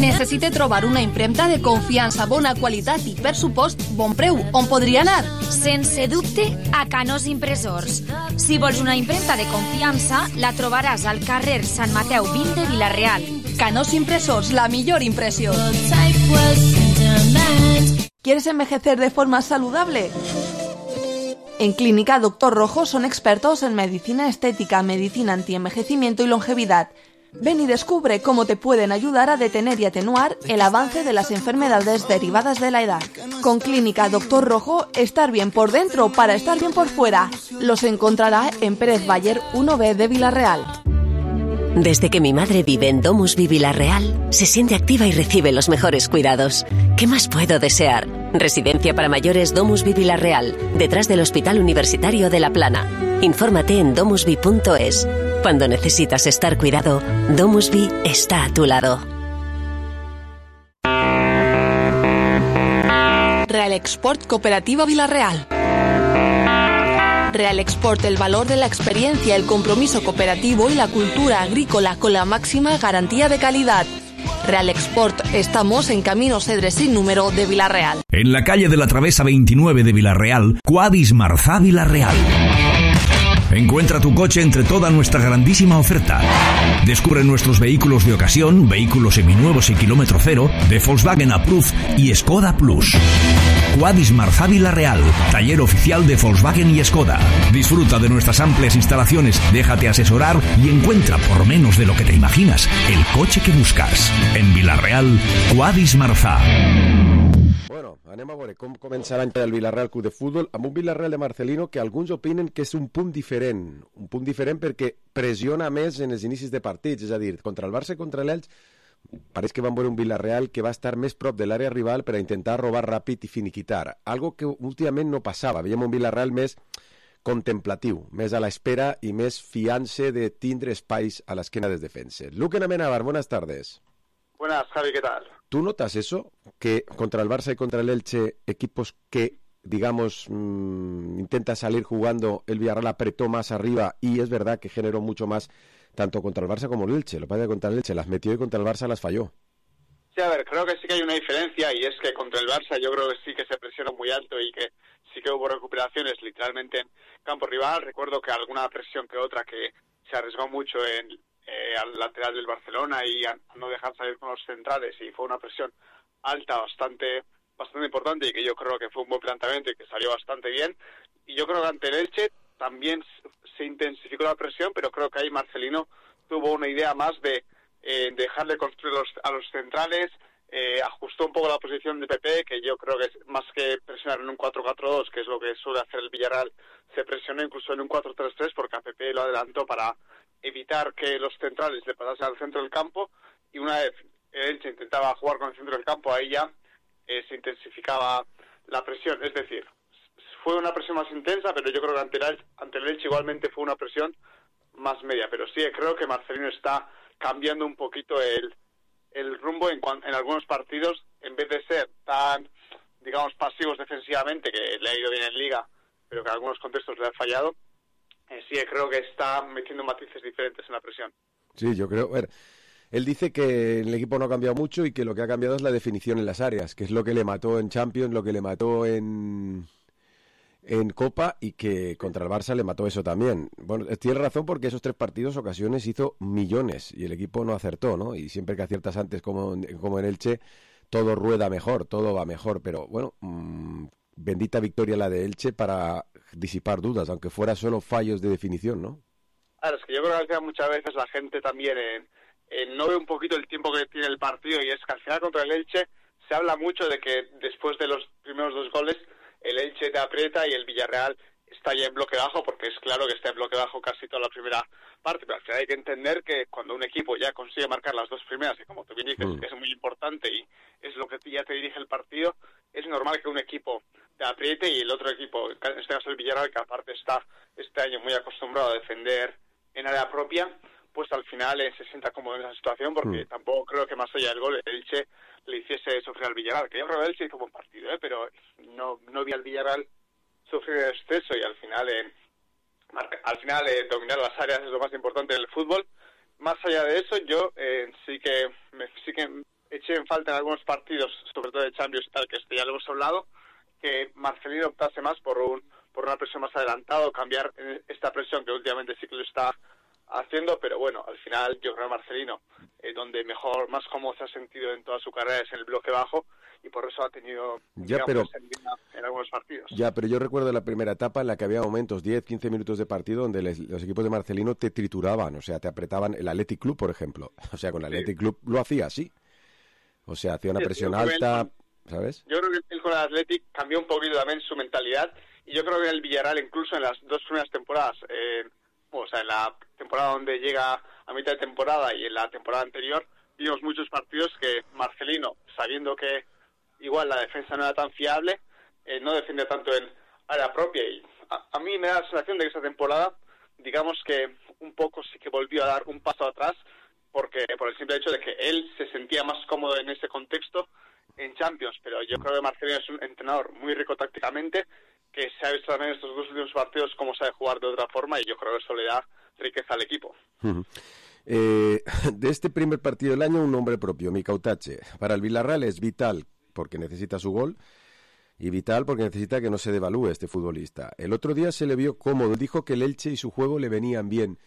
Necessite trobar una impremta de confiança, bona qualitat i, per supost, bon preu. On podria anar? Sense dubte, a Canós Impressors. Si vols una impremta de confiança, la trobaràs al carrer Sant Mateu vint de Vila-real. Canós Impressors, la millor impressió. ¿Quieres envejecer de forma saludable? En Clínica Doctor Rojo son expertos en medicina estética, medicina antienvejecimiento y longevidad. Ven y descubre cómo te pueden ayudar a detener y atenuar el avance de las enfermedades derivadas de la edad. Con Clínica Doctor Rojo, estar bien por dentro para estar bien por fuera. Los encontrará en Pérez Bayer uno B de Villarreal. Desde que mi madre vive en Domusvi Villarreal, se siente activa y recibe los mejores cuidados. ¿Qué más puedo desear? Residencia para mayores Domusvi Villarreal, detrás del Hospital Universitario de La Plana. Infórmate en domusvi punto es. Cuando necesitas estar cuidado, Domusvi está a tu lado. Real Export Cooperativa Villarreal. Real Export, el valor de la experiencia, el compromiso cooperativo y la cultura agrícola con la máxima garantía de calidad. Real Export, estamos en Camino Cedre sin número de Villarreal. En la calle de la Travesa veintinueve de Villarreal, Cuadis Marzá Villarreal. Encuentra tu coche entre toda nuestra grandísima oferta. Descubre nuestros vehículos de ocasión, vehículos seminuevos y kilómetro cero, de Volkswagen Approved y Skoda Plus. Quadis Marzá Vilareal, taller oficial de Volkswagen y Skoda. Disfruta de nuestras amplias instalaciones, déjate asesorar y encuentra por menos de lo que te imaginas el coche que buscas. En Vilareal, Quadis Marzá. Bueno, anem a veure com comença l'any per al Vilareal Club de Futbol, amb un Vilareal de Marcelino que alguns opinen que és un punt diferent, un punt diferent perquè pressiona més en els inicis de partits, és a dir, contra el Barça i contra l'Elx pareix que van veure un Vilareal que va estar més prop de l'àrea rival per a intentar robar ràpid i finiquitar, algo que últimament no passava, veiem un Vilareal més contemplatiu, més a l'espera i més fiant-se de tindre espais a l'esquena dels defenses. Luque Amenábar, buenas tardes. Buenas, Javi, ¿qué tal? ¿Tú notas eso? Que contra el Barça y contra el Elche, equipos que, digamos, mmm, intenta salir jugando, el Villarreal apretó más arriba y es verdad que generó mucho más tanto contra el Barça como el Elche. Lo que pasa es que contra el Elche las metió y contra el Barça las falló. Sí, a ver, creo que sí que hay una diferencia y es que contra el Barça yo creo que sí que se presionó muy alto y que sí que hubo recuperaciones literalmente en campo rival. Recuerdo que alguna presión que otra que se arriesgó mucho en... Eh, al lateral del Barcelona y a no dejar salir con los centrales y fue una presión alta bastante bastante importante y que yo creo que fue un buen planteamiento y que salió bastante bien y yo creo que ante el Elche también se intensificó la presión pero creo que ahí Marcelino tuvo una idea más de eh, dejarle construir los, a los centrales, eh, ajustó un poco la posición de Pepe que yo creo que es más que presionar en un cuatro cuatro dos que es lo que suele hacer el Villarreal, se presionó incluso en un cuatro tres tres porque a Pepe lo adelantó para evitar que los centrales le pasasen al centro del campo y una vez el Elche intentaba jugar con el centro del campo, ahí ya eh, se intensificaba la presión. Es decir, fue una presión más intensa, pero yo creo que ante el, ante el Elche igualmente fue una presión más media. Pero sí, creo que Marcelino está cambiando un poquito el, el rumbo en, en algunos partidos, en vez de ser tan, digamos, pasivos defensivamente, que le ha ido bien en Liga, pero que en algunos contextos le ha fallado. Eh, sí, creo que está metiendo matices diferentes en la presión. Sí, yo creo... A ver, él dice que el equipo no ha cambiado mucho y que lo que ha cambiado es la definición en las áreas, que es lo que le mató en Champions, lo que le mató en, en Copa y que contra el Barça le mató eso también. Bueno, tiene razón porque esos tres partidos, ocasiones, hizo millones y el equipo no acertó, ¿no? Y siempre que aciertas antes como, como en Elche, todo rueda mejor, todo va mejor, pero bueno... Mmm, bendita victoria la de Elche para disipar dudas, aunque fuera solo fallos de definición, ¿no? Claro, es que yo creo que al final muchas veces la gente también eh, eh, no ve un poquito el tiempo que tiene el partido y es que al final contra el Elche se habla mucho de que después de los primeros dos goles el Elche te aprieta y el Villarreal está ya en bloque bajo porque es claro que está en bloque bajo casi toda la primera parte, pero al final hay que entender que cuando un equipo ya consigue marcar las dos primeras y como tú bien dices mm. es muy importante y es lo que ya te dirige el partido, es normal que un equipo te apriete y el otro equipo, en este caso el Villarreal, que aparte está este año muy acostumbrado a defender en área propia, pues al final eh, se sienta cómodo en esa situación porque mm. tampoco creo que más allá del gol el Elche le hiciese sufrir al Villarreal, que yo creo que el Elche hizo un buen partido, ¿eh? pero no, no vi al Villarreal sufrir el exceso y al final eh, marca, al final eh, dominar las áreas es lo más importante en el fútbol. Más allá de eso, yo eh, sí que me, sí que eché en falta en algunos partidos, sobre todo de Champions y tal, que este ya lo hemos hablado, que Marcelino optase más por un por una presión más adelantado, cambiar esta presión que últimamente sí que lo está haciendo, pero bueno, al final yo creo que Marcelino, eh, donde mejor, más cómodo se ha sentido en toda su carrera es en el bloque bajo, y por eso ha tenido ya, pero, en algunos partidos. Ya, pero yo recuerdo la primera etapa en la que había momentos, diez, quince minutos de partido, donde les, los equipos de Marcelino te trituraban, o sea, te apretaban. El Athletic Club, por ejemplo, o sea, con el Athletic sí. Club lo hacía así, o sea, hacía una sí, presión alta, él, ¿sabes? Yo creo que él con el Athletic cambió un poquito también su mentalidad, y yo creo que en el Villarreal, incluso en las dos primeras temporadas, eh, o sea, en la temporada donde llega a mitad de temporada y en la temporada anterior, vimos muchos partidos que Marcelino, sabiendo que igual la defensa no era tan fiable, eh, no defiende tanto en área propia, y a, a mí me da la sensación de que esa temporada, digamos que un poco sí que volvió a dar un paso atrás, porque por el simple hecho de que él se sentía más cómodo en ese contexto en Champions, pero yo creo que Marcelino es un entrenador muy rico tácticamente, que se ha visto también en estos dos últimos partidos cómo sabe jugar de otra forma, y yo creo que eso le da riqueza al equipo. Uh-huh. Eh, de este primer partido del año, un nombre propio, Mika Utache. Para el Villarreal es vital porque necesita su gol y vital porque necesita que no se devalúe este futbolista. El otro día se le vio cómodo, dijo que el Elche y su juego le venían bien.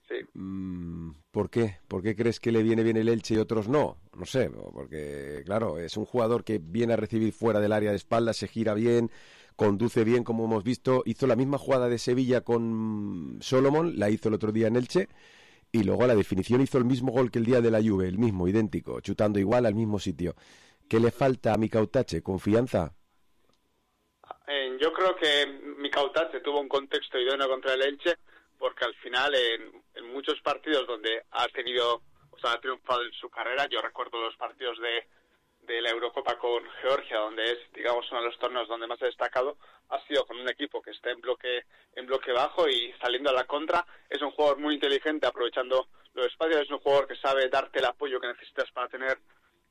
Sí. Mm, ¿Por qué? ¿Por qué crees que le viene bien el Elche y otros no? no sé, porque claro, es un jugador que viene a recibir fuera del área de espaldas, se gira bien, conduce bien, como hemos visto, hizo la misma jugada de Sevilla con Solomon, la hizo el otro día en Elche, y luego a la definición hizo el mismo gol que el día de la Juve, el mismo, idéntico, chutando igual al mismo sitio. ¿Qué le falta a Mika Otache? ¿Confianza? Eh, yo creo que Mika Otache tuvo un contexto idóneo contra el Elche, porque al final en, en muchos partidos donde ha tenido, o sea, ha triunfado en su carrera, yo recuerdo los partidos de, de la Eurocopa con Georgia, donde es, digamos, uno de los torneos donde más ha destacado, ha sido con un equipo que está en bloque, en bloque bajo y saliendo a la contra. Es un jugador muy inteligente, aprovechando los espacios, es un jugador que sabe darte el apoyo que necesitas para tener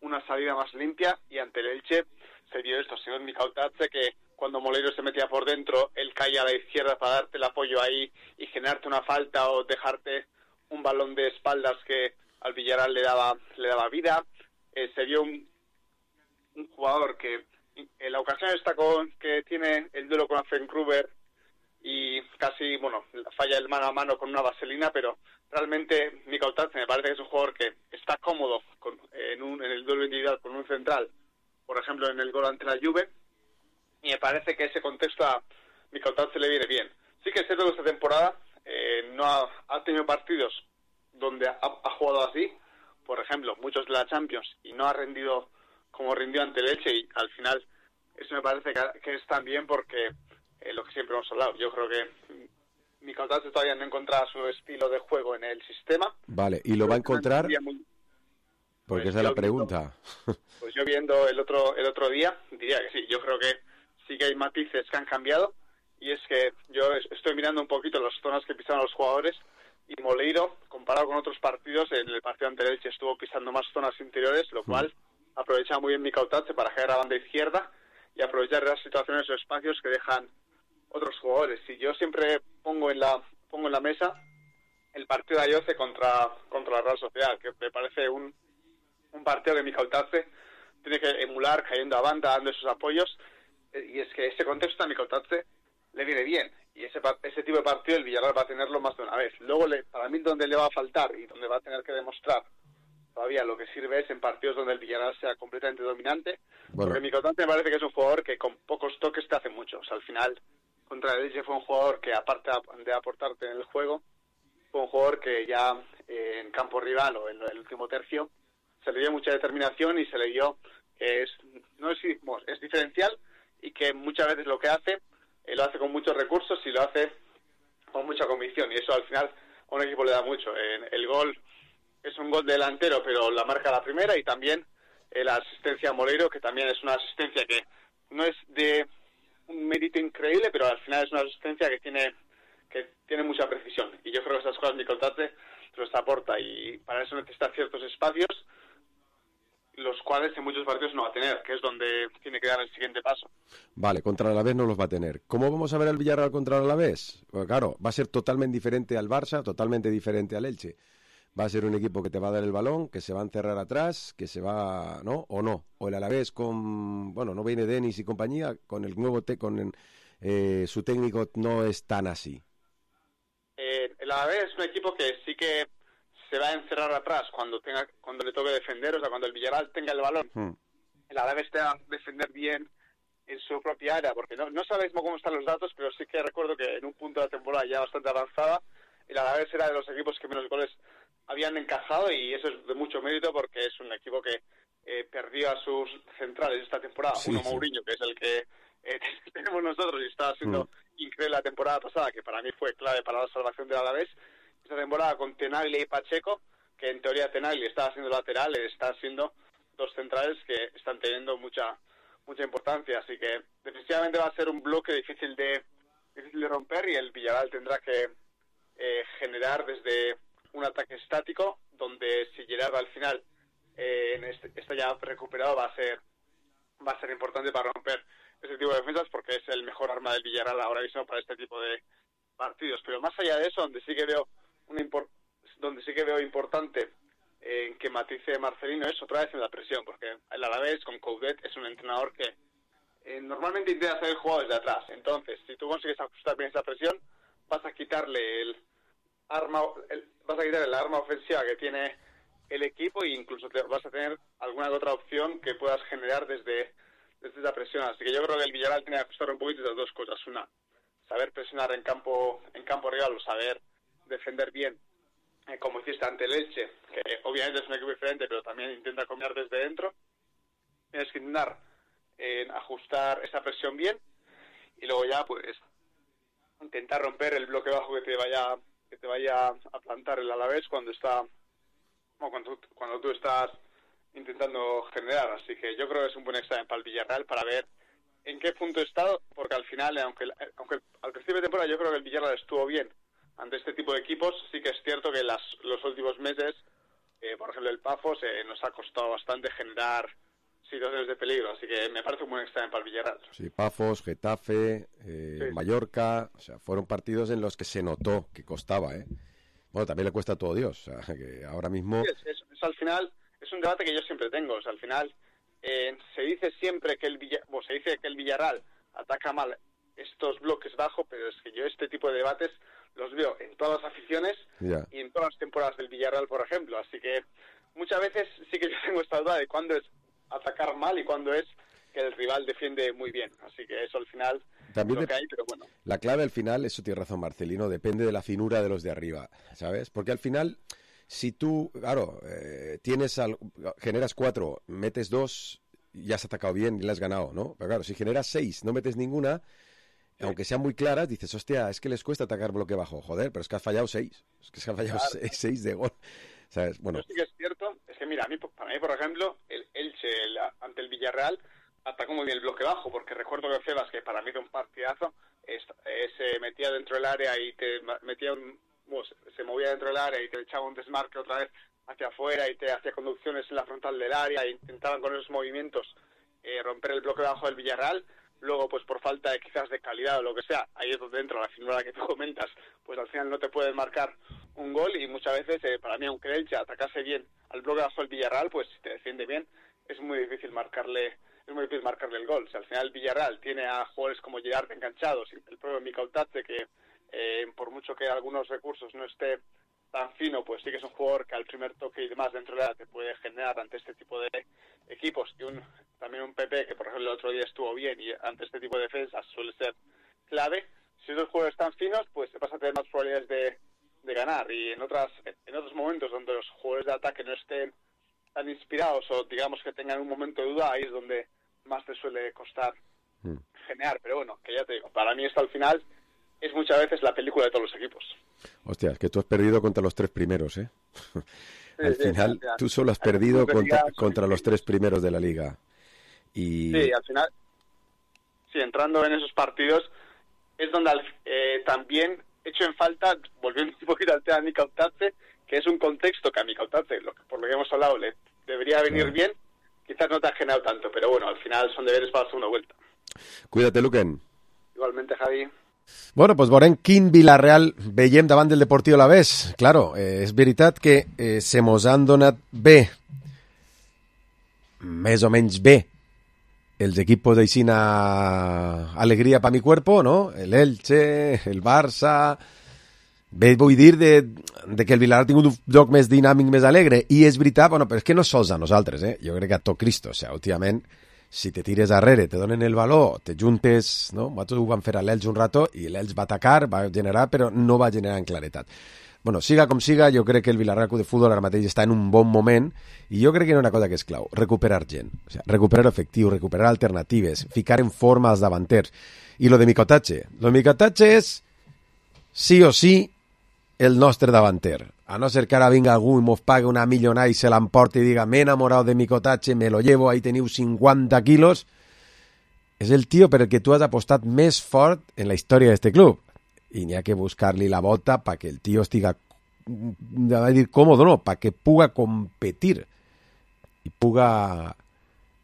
una salida más limpia, y ante el Elche se dio esto, señor Mika Otache, que cuando Moleiro se metía por dentro, él caía a la izquierda para darte el apoyo ahí y generarte una falta o dejarte un balón de espaldas que al Villarreal le daba le daba vida. Eh, se vio un, un jugador que en la ocasión está con que tiene el duelo con Afenkruber y casi, bueno, falla el mano a mano con una vaselina, pero realmente Mika Otache me parece que es un jugador que está cómodo con, en, un, en el duelo individual con un central, por ejemplo en el gol ante la Juve, y me parece que ese contexto a Mika Otache le viene bien. Sí que es cierto que esta temporada eh, no ha, ha tenido partidos donde ha, ha jugado así, por ejemplo, muchos de la Champions, y no ha rendido como rindió ante el Elche, y al final eso me parece que, que es también porque eh, lo que siempre hemos hablado, yo creo que Mika Otache todavía no ha encontrado su estilo de juego en el sistema. Vale, ¿y lo va a encontrar? Muy... Porque pues esa es la pregunta. Viendo, pues yo viendo el otro el otro día, diría que sí, yo creo que sí que hay matices que han cambiado, y es que yo estoy mirando un poquito las zonas que pisaban los jugadores, y Moleiro, comparado con otros partidos, en el partido ante el Elche estuvo pisando más zonas interiores, lo cual aprovecha muy bien Mika Otache para generar a banda izquierda y aprovechar las situaciones o espacios que dejan otros jugadores. Y yo siempre pongo en la pongo en la mesa el partido de Ayoce contra contra la Real Sociedad, que me parece un un partido que Mika Otache tiene que emular, cayendo a banda, dando esos apoyos, y es que ese contexto a Mika Otache le viene bien, y ese ese tipo de partido el Villarreal va a tenerlo más de una vez. Luego, le, para mí, donde le va a faltar y donde va a tener que demostrar todavía lo que sirve es en partidos donde el Villarreal sea completamente dominante, bueno. Porque Mika Otache me parece que es un jugador que con pocos toques te hace mucho. O sea, al final, contra el Elche fue un jugador que, aparte de aportarte en el juego, fue un jugador que ya eh, en campo rival o en el último tercio se le dio mucha determinación y se le dio que es, no es, bueno, es diferencial, y que muchas veces lo que hace eh, lo hace con muchos recursos y lo hace con mucha convicción, y eso al final a un equipo le da mucho. Eh, el gol es un gol delantero, pero la marca la primera, y también eh, la asistencia a Moleiro, que también es una asistencia que no es de un mérito increíble, pero al final es una asistencia que tiene que tiene mucha precisión, y yo creo que esas cosas Mika Otache los aporta, y para eso necesita ciertos espacios, los cuales en muchos partidos no va a tener, que es donde tiene que dar el siguiente paso. Vale, contra el Alavés no los va a tener. ¿Cómo vamos a ver al Villarreal contra el Alavés? Pues claro, va a ser totalmente diferente al Barça, totalmente diferente al Elche. Va a ser un equipo que te va a dar el balón, que se va a encerrar atrás, que se va, ¿no? O no. O el Alavés con, bueno, no viene Denis y compañía, con el nuevo te, con eh, su técnico no es tan así. Eh, el Alavés es un equipo que sí que se va a encerrar atrás cuando tenga cuando le toque defender, o sea, cuando el Villarreal tenga el balón. Hmm. El Alavés te va a defender bien en su propia área, porque no, no sabéis cómo están los datos, pero sí que recuerdo que en un punto de la temporada ya bastante avanzada, el Alavés era de los equipos que menos goles habían encajado, y eso es de mucho mérito porque es un equipo que eh, perdió a sus centrales esta temporada. Sí, Uno sí. Mourinho, que es el que eh, tenemos nosotros y estaba siendo hmm. increíble la temporada pasada, que para mí fue clave para la salvación del Alavés. Esta temporada con Tenaglia y Pacheco, que en teoría Tenaglia estaba siendo lateral, está siendo dos centrales que están teniendo mucha mucha importancia, así que definitivamente va a ser un bloque difícil de difícil de romper, y el Villarreal tendrá que eh, generar desde un ataque estático, donde si Gerard al final eh, en este, está ya recuperado, va a ser va a ser importante para romper ese tipo de defensas, porque es el mejor arma del Villarreal ahora mismo para este tipo de partidos. Pero más allá de eso, donde sí que veo una impor- donde sí que veo importante en eh, que matice Marcelino es otra vez en la presión, porque el Alavés con Coudet es un entrenador que eh, normalmente intenta hacer el juego desde atrás. Entonces, si tú consigues ajustar bien esa presión, vas a quitarle el arma el, vas a quitarle la arma ofensiva que tiene el equipo, e incluso te, vas a tener alguna otra opción que puedas generar desde, desde esa presión. Así que yo creo que el Villarreal tiene que ajustar un poquito de dos cosas. Una, saber presionar en campo en campo rival, o saber defender bien, eh, como hiciste ante el Elche, que obviamente es un equipo diferente, pero también intenta combinar desde dentro. Tienes que intentar eh, ajustar esa presión bien, y luego ya pues intentar romper el bloque bajo que te vaya que te vaya a plantar el Alavés cuando está bueno, cuando, cuando tú estás intentando generar. Así que yo creo que es un buen examen para el Villarreal para ver en qué punto está, porque al final, aunque aunque al principio de temporada yo creo que el Villarreal estuvo bien ante este tipo de equipos, sí que es cierto que las, los últimos meses, eh, por ejemplo el Pafos, eh, nos ha costado bastante generar situaciones de peligro, así que me parece un buen examen para el Villarreal. Sí, Pafos, Getafe, eh, sí. Mallorca, o sea, fueron partidos en los que se notó que costaba, ¿eh? Bueno, también le cuesta a todo Dios, o sea, que ahora mismo... Sí, es, es, es al final, es un debate que yo siempre tengo, o sea, al final eh, se dice siempre que el Villarreal, bueno, se dice que el Villarreal ataca mal estos bloques bajos, pero es que yo este tipo de debates los veo en todas las aficiones yeah. y en todas las temporadas del Villarreal, por ejemplo, así que muchas veces sí que yo tengo esta duda de cuándo es atacar mal y cuando es que el rival defiende muy bien, así que eso al final también es lo que hay, pero bueno. La clave al final, eso tiene razón Marcelino, depende de la finura de los de arriba, ¿sabes? Porque al final, si tú, claro, eh, tienes al, generas cuatro, metes dos, ya has atacado bien y le has ganado, ¿no? Pero claro, si generas seis, no metes ninguna, sí. aunque sean muy claras, dices, hostia, es que les cuesta atacar bloque bajo, joder, pero es que has fallado seis, es que has fallado claro. seis, seis de gol. ¿Sabes? Bueno. Pero sí que es cierto, es que mira, a mí, para mí, por ejemplo, el Elche el, ante el Villarreal atacó muy bien el bloque bajo, porque recuerdo que Febas, que para mí era un partidazo, es, es, se metía dentro del área y te metía un, bueno, se movía dentro del área y te echaba un desmarque otra vez hacia afuera y te hacía conducciones en la frontal del área e intentaban con esos movimientos eh, romper el bloque bajo del Villarreal. Luego, pues por falta de quizás de calidad o lo que sea, ahí es donde entra la finura que tú comentas, pues al final no te pueden marcar un gol y muchas veces, eh, para mí, aunque el Elche atacase bien al bloque bajo del Villarreal, pues si te defiende bien, es muy difícil marcarle es muy difícil marcarle el gol. O sea, al final el Villarreal tiene a jugadores como Gerard enganchados, y el propio Mikau Tatze, que eh, por mucho que algunos recursos no esté tan fino, pues sí que es un jugador que al primer toque y demás dentro de la te puede generar ante este tipo de equipos, y un también un Pepe que por ejemplo el otro día estuvo bien y ante este tipo de defensas suele ser clave. Si esos jugadores están finos, pues vas a tener más probabilidades de, de ganar, y en otras en otros momentos donde los jugadores de ataque no estén tan inspirados o digamos que tengan un momento de duda, ahí es donde más te suele costar mm. generar. Pero bueno, que ya te digo, para mí esto al final es muchas veces la película de todos los equipos. Hostia, es que tú has perdido contra los tres primeros, ¿eh? Sí, al sí, final, sí, tú solo has perdido contra, contra los tres primeros de la liga. Y... Sí, al final, sí, entrando en esos partidos, es donde eh, también echo en falta, volviendo un poquito al tema de Mikau Tatze, que es un contexto que a Mikau Tatze, lo que, por lo que hemos hablado, le debería venir claro. bien, quizás no te ha generado tanto, pero bueno, al final son deberes para la segunda vuelta. Cuídate, Luquen. Igualmente, Javi. Bueno, doncs veurem quin Villarreal veiem davant del Deportiu Alavés. Claro, eh, és veritat que eh, se mos han donat bé, més o menys bé, els equipos d'Aixina alegria pa mi cuerpo, no? El Elche, el Barça... Bé, vull dir de, de que el Villarreal ha tingut un joc més dinàmic, més alegre, i és veritat, bueno, però és que no sols a nosaltres, eh? Jo crec que a tot Cristo, o sigui, últimament, si te tires darrere, te donen el valor, te juntes, no? Nosaltres ho vam fer a l'Elx un rato, i l'Elx va atacar, va generar, però no va generar en claretat. Bueno, siga com siga, jo crec que el Villarreal Club de Futbol ara mateix està en un bon moment, i jo crec que hi ha una cosa que és clau, recuperar gent, o sigui, recuperar efectiu, recuperar alternatives, ficar en forma als davanters. I lo de Mikau Tatze, lo de Mikau Tatze és sí o sí el nostre davanter, a no ser que ara vinga algú i mos pague una millonada i se l'emporti i diga, m'he enamorat de Mikau Tatze, me lo llevo, ahí teniu cinquanta quilos. És el tio per el que tu has apostat més fort en la història d'este club, i n'hi ha que buscar-li la bota perquè el tio estiga, a dir còmodo, no, perquè puga competir i puga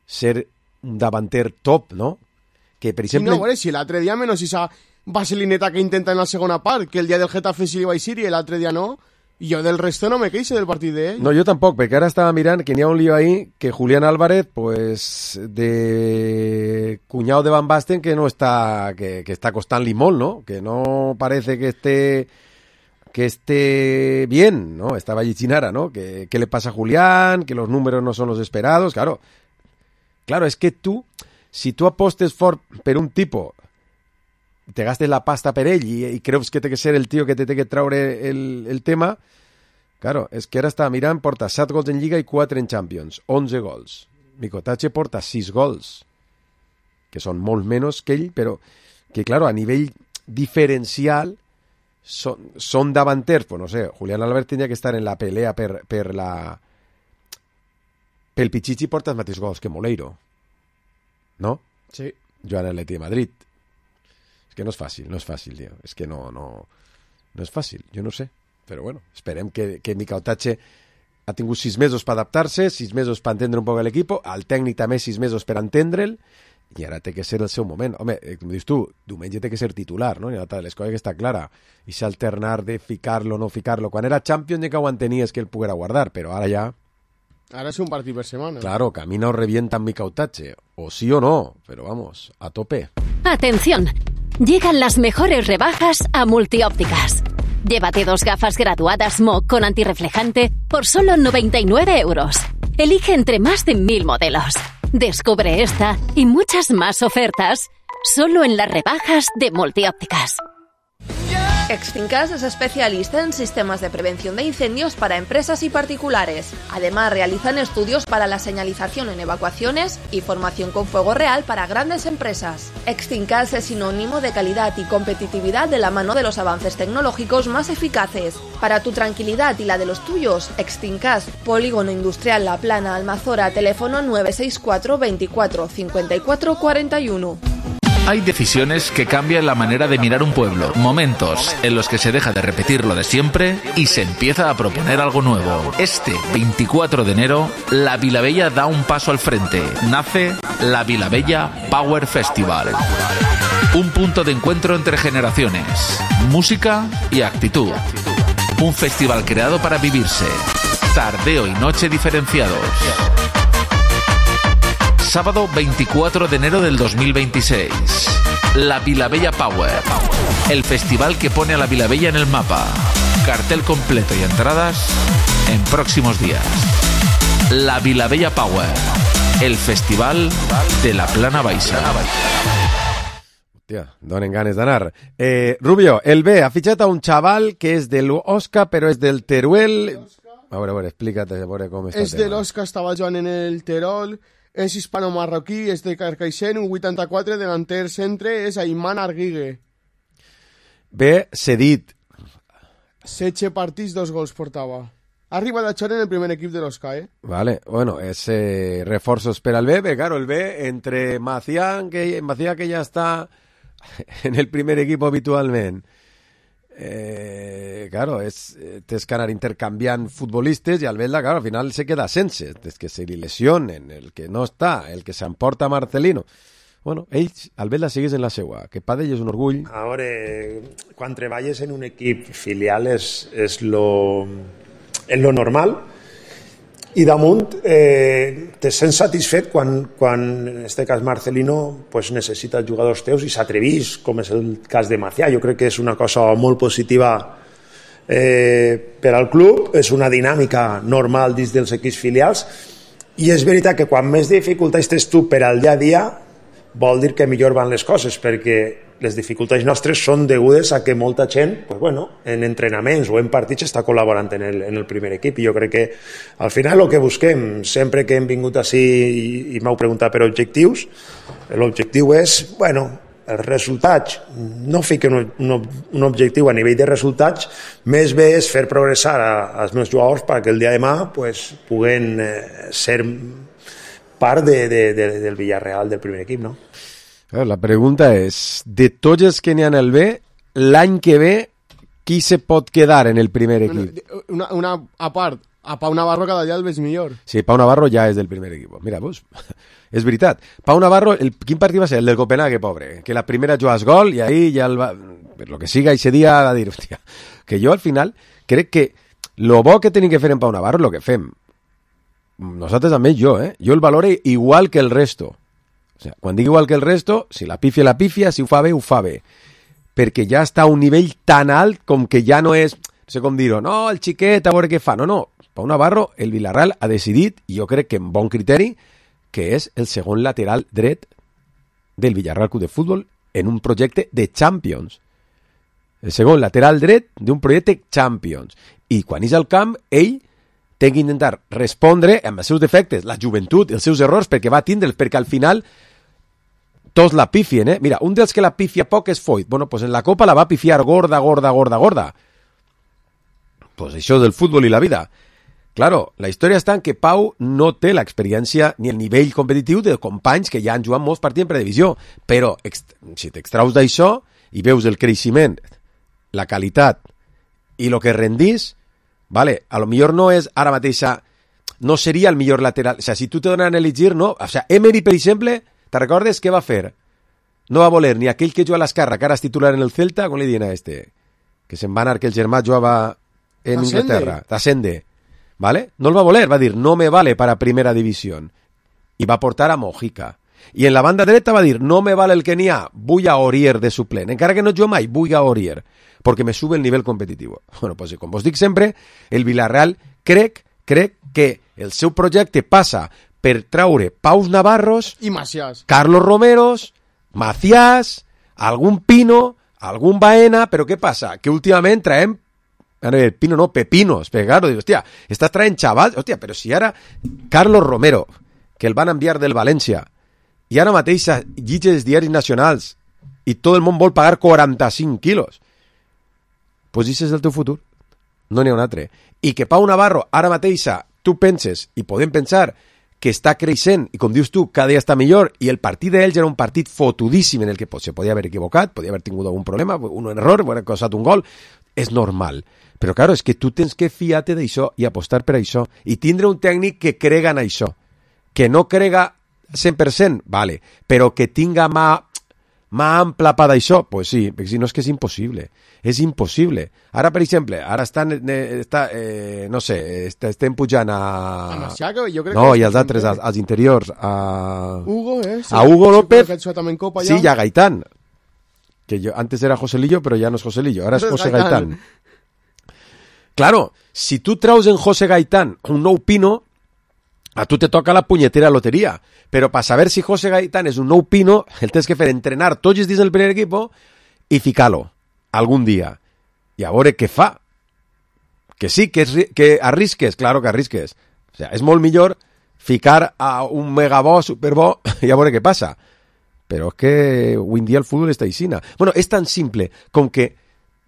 ser un davanter top, no? Que, per exemple... Sí, no, bueno, si l'altre dia menos esa vaselineta que intenta en la segona part, que el dia del Getafe sí li va eixir i l'altre dia no, i jo del resto no me queixo del partit d'ell. No, jo tampoc, perquè ara estava mirant que n'hi ha un lío ahí que Julián Álvarez, pues, de cuñado de Van Basten, que no està, que, que està costant-li molt, no? Que no parece que esté que esté bien, ¿no? Estaba allí Chinara, ¿no? ¿Qué, qué le pasa a Julián? Que los números no son los esperados. Claro, claro, es que tú, si tú apostes for, per un tipo, te gastes la pasta per ell i, i creus que té que ser el tio que te té que traure el, el tema, claro, és que ara estava mirant, porta set gols en Lliga i quatre en Champions, onze gols. Mikotache porta sis gols, que són molt menys que ell, però que, claro, a nivell diferencial son, son davanters, pues no sé, Julián Albert tenia que estar en la pelea per, per la... Pel Pichichi porta els mateixos gols que Moleiro, no? Sí. Joan Atleti de Madrid. És que no és fàcil, no és fàcil, tio. És que no, no, no és fàcil, jo no sé. Però bueno, esperem que, que Mikotache ha tingut sis mesos per adaptar-se, sis mesos per entendre un poc l'equip, el tècnic també sis mesos per entendre'l, i ara té que ser el seu moment. Home, com dius tu, diumenge té que ser titular, no? I l'altra de les coses que està clara. I s'alternar de ficar-lo o no ficar-lo. Quan era Champions ja que ho entenies que el poguera guardar, però ara ja... Ara és un partit per setmana. Claro, camina o revienta amb Mikotache. O sí o no, pero vamos, a tope. Atención, llegan las mejores rebajas a Multiópticas. Llévate dos gafas graduadas M O con antirreflejante por solo noventa y nueve euros. Elige entre más de mil modelos. Descubre esta y muchas más ofertas solo en las rebajas de Multiópticas. Extinkas es especialista en sistemas de prevención de incendios para empresas y particulares. Además, realizan estudios para la señalización en evacuaciones y formación con fuego real para grandes empresas. Extinkas es sinónimo de calidad y competitividad de la mano de los avances tecnológicos más eficaces. Para tu tranquilidad y la de los tuyos, Extinkas, Polígono Industrial La Plana, Almazora, teléfono nueve seis cuatro veinticuatro cincuenta y cuatro cuarenta y uno. Hay decisiones que cambian la manera de mirar un pueblo, momentos en los que se deja de repetir lo de siempre y se empieza a proponer algo nuevo. Este veinticuatro de enero, la Vilabella da un paso al frente. Nace la Vilabella Power Festival. Un punto de encuentro entre generaciones, música y actitud. Un festival creado para vivirse. Tardeo y noche diferenciados. Sábado veinticuatro de enero del dos mil veintiséis. La Vilabella Power. El festival que pone a la Vilabella en el mapa. Cartel completo y entradas en próximos días. La Vilabella Power. El festival de la Plana Baixa. Hòstia, donen ganes d'anar. Eh, Rubio, el B ha fitxat a un xaval que és de l'Osca, però és del Teruel. A veure, a veure, explica't, a veure com està és el tema. És de l'Osca, estava jugant en el Terol. És hispano-marroquí, és de Carcaixent, un vuitanta-quatre, delanter centre, és Ayman Arguigue. Bé, cedit. setze partits, dos gols portava. Ha arribat a jugar en el primer equip de l'Osca, eh? Vale, bueno, es eh, reforzos per al B, bé, claro, el B, entre Macián, que, Macián que ya está en el primer equipo habitualment, Eh, claro, és, tens que anar intercanviant futbolistes i el Belda, claro, al final se queda sense, des que se li lesionen, el que no està, el que s'emporta Marcelino. Bueno, ells, el Belda sigues en la seua, que pa d'ell és un orgull. A veure, quan treballes en un equip filial és, és, lo, és lo normal, i damunt eh, te sents satisfet quan, quan en este cas Marcelino pues, necessita jugadors teus i s'atrevís, com és el cas de Macià. Jo crec que és una cosa molt positiva eh, per al club, és una dinàmica normal dins dels equips filials, i és veritat que quan més dificultats tens tu per al dia a dia vol dir que millor van les coses, perquè les dificultats nostres són degudes a que molta gent pues bueno, en entrenaments o en partits està col·laborant en el, en el primer equip, i jo crec que al final el que busquem, sempre que hem vingut així i, i m'heu preguntat per objectius, l'objectiu és, bueno, els resultats, no fiquen un, un, un objectiu a nivell de resultats, més bé és fer progressar a, als meus jugadors perquè el dia de demà pues, puguen eh, ser part de, de, de, del Villarreal, del primer equip, no? La pregunta és, de tots els que n'hi ha en el B, l'any que ve, qui se pot quedar en el primer equip? Una, una a part, a Pau Navarro cada dia el veig millor. Sí, Pau Navarro ja és del primer equip. Mira, pues, és veritat. Pau Navarro, el, quin partit va ser? El del Copenhague, pobre, que la primera jugas gol i ahí ja el va... Per lo que siga, ese dia va dir, hòstia, que jo al final crec que lo bo que tenim que fer en Pau Navarro és lo que fem. Nosaltres també, jo, eh? Jo el valore igual que el resto. O sea, quan dic igual que el resto, si la pifia, la pifia, si ho fa bé, ho fa bé. Perquè ja està a un nivell tan alt com que ja no és... sé com dir-ho, no, el xiquet, a veure què fa. No, no, Pau Navarro, el Villarreal ha decidit, i jo crec que amb bon criteri, que és el segon lateral dret del Villarreal Club de Futbol en un projecte de Champions. El segon lateral dret d'un projecte Champions. I quan és al camp, ell té que intentar respondre amb els seus defectes, la joventut, els seus errors, perquè va tindre'ls, perquè al final tots la pifien, eh? Mira, un dels que la pifia poc és Foyt. Bueno, pues en la Copa la va pifiar gorda, gorda, gorda, gorda. Pues això del futbol i la vida. Claro, la història està en que Pau no té l'experiència ni el nivell competitiu de companys que ja han jugat molts partits en predivisió, però si t'extraus d'això i veus el creixement, la qualitat i el que rendís, vale, a lo millor no és ara mateixa, no seria el millor lateral, o sea, si tu te donen a elegir, no, o sea, Emery, per exemple, te recordes què va fer? No va voler ni aquell que juga a l'esquerra, que ara és titular en el Celta, com li diuen a este? Que se'n va anar que el germà jugava en Inglaterra, Tassende, ¿vale? No el va voler, va dir, no me vale para primera división, i va portar a Mojica. I en la banda dreta va dir, no me vale el que n'hi ha, vull a Aurier de suplent, encara que no jo mai, vull a Aurier, perquè me sube el nivell competitiu. Bueno, pues com vos dic sempre, el Villarreal crec, crec que el seu projecte passa per traure Paus Navarros i Macías, Carlos Romeros, Macías, algun Pino, algun Baena, però què passa? Que últimament traem, a ver, Pino no, Pepinos, perquè claro, digo, hòstia, estàs traient xavals, hòstia, però si ara Carlos Romero, que el van enviar del València, i ara mateix llitges els diaris nacionals i tot el món vol pagar quaranta-cinc quilos, pues això és el teu futur, no n'hi ha un altre. I que Pau Navarro ara mateix tu penses, i podem pensar que està creixent, i com dius tu, cada dia està millor, i el partit d'ells era un partit fotudíssim en el que se podia haver equivocat, podia haver tingut algun problema, un error, haver causat un gol, és normal. Però, claro, és que tu tens que fiar-te d'això i apostar per això, i tindre un tècnic que crega en això, que no crega cent per cent, vale, però que tinga mà, mà ampla per d'això, pues sí, perquè si no és que és impossible, és impossible. Ara, per exemple, ara estan, eh, està, eh, no sé, est estem pujant a... A Maciaga, jo crec no, que... i als altres, als, als interiors, a... Hugo, eh? Sí, a Hugo López, que ha també en Copa, sí, ja. i a Gaitán, que yo, antes era Joselillo, però ja no és Joselillo, ara és José Gaitán. Claro, si tu traus en José Gaitán un nou Pino, a tu te toca la punyetera loteria, però per saber si José Gaitán és un nou Pino, el tens que fer entrenar tots els dies del primer equip i ficar-lo algun dia, i a veure què fa. Que sí, que, és, que arrisques, claro que arrisques. O sea, és molt millor ficar a un megabó, superbó, i a veure què passa. Però és que avui en dia el futbol està aixina. Bueno, és tan simple com que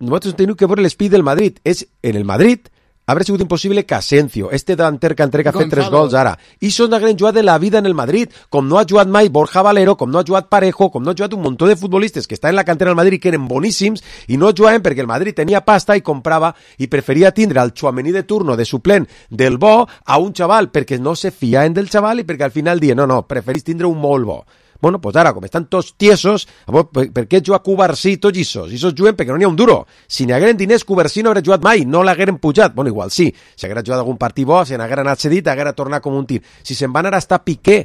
nosaltres tenim que veure l'espí del Madrid. És en el Madrid habrà sigut impossible que Asensio, este delanter que entrega ha fet tres gols ara, i són una gran jugada de la vida en el Madrid, com no ha jugat mai Borja Valero, com no ha jugat Parejo, com no ha jugat un muntó de futbolistes que estan en la cantera del Madrid que eren boníssims i no jugaven perquè el Madrid tenia pasta i comprava i preferia tindre el Tchouaméni de turno de suplent del bo a un xaval perquè no se fiaven del xaval i perquè al final dien, no, no, preferís tindre un molt bo. Bueno, pues ara, com estan tots tiesos, per què jugar Cubarsí tots issos? Issos juguen perquè no n'hi ha un duro. Si n'hi hagueren diners, Cubarsí no hauria jugat mai, no l'hagueren pujat. Bueno, igual sí, si haguera jugat algun partit bo, si n'haguera anat cedit, haguera tornat com un tir. Si se'n va anar a estar Piqué,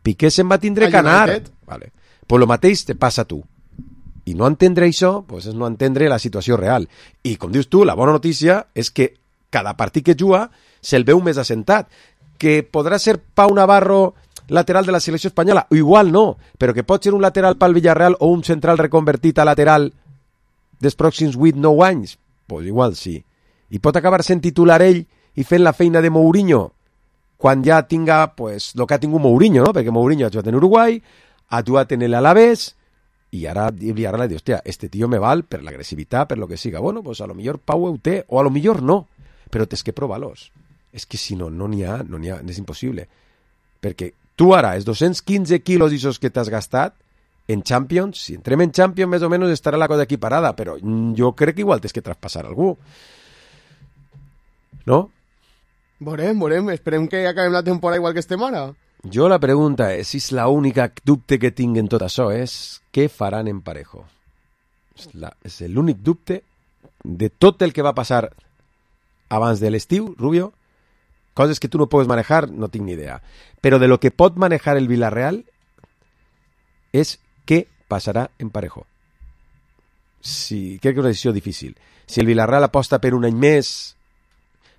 Piqué se'n va tindre que anar. Vale. Pues lo mateix te passa a tu. I no entendre això, pues és no entendre la situació real. I com dius tu, la bona notícia és que cada partit que juga se'l veu més assentat. Que podrà ser Pau Navarro lateral de la selecció espanyola, o igual no, però que pot ser un lateral pel Villarreal o un central reconvertit a lateral dels pròxims vuit nou anys, pues igual sí. I pot acabar sent titular ell i fent la feina de Mourinho quan ja tinga pues, el que ha tingut Mourinho, no? Perquè Mourinho ha jugat en Uruguai, ha jugat en l'Alavés, i ara el Villarreal diu, hòstia, este tio me val per l'agressivitat, per lo que siga. Bueno, pues a lo millor Pau ho té, o a lo millor no, però tens que provar-los. És que si no, no n'hi ha, no n'hi ha, és impossible. Perquè tu ara, els dos-cents quinze quilos d'issos que t'has gastat en Champions, si entrem en Champions més o menys estarà la cosa equiparada, però jo crec que igual tens que traspassar algú. No? Veurem, veurem, esperem que acabem la temporada igual que estem ara. Jo la pregunta és, si és l'única dubte que tinc en tot això, és què faran en Parejo. És, la, és l'únic dubte de tot el que va passar abans de l'estiu, Rubio. Coses que tu no puedes manejar, no tinc ni idea. Però de lo que pot manejar el Villarreal és què passarà en Parejo. si, crec que és una decisió difícil. Si el Villarreal aposta per un any més,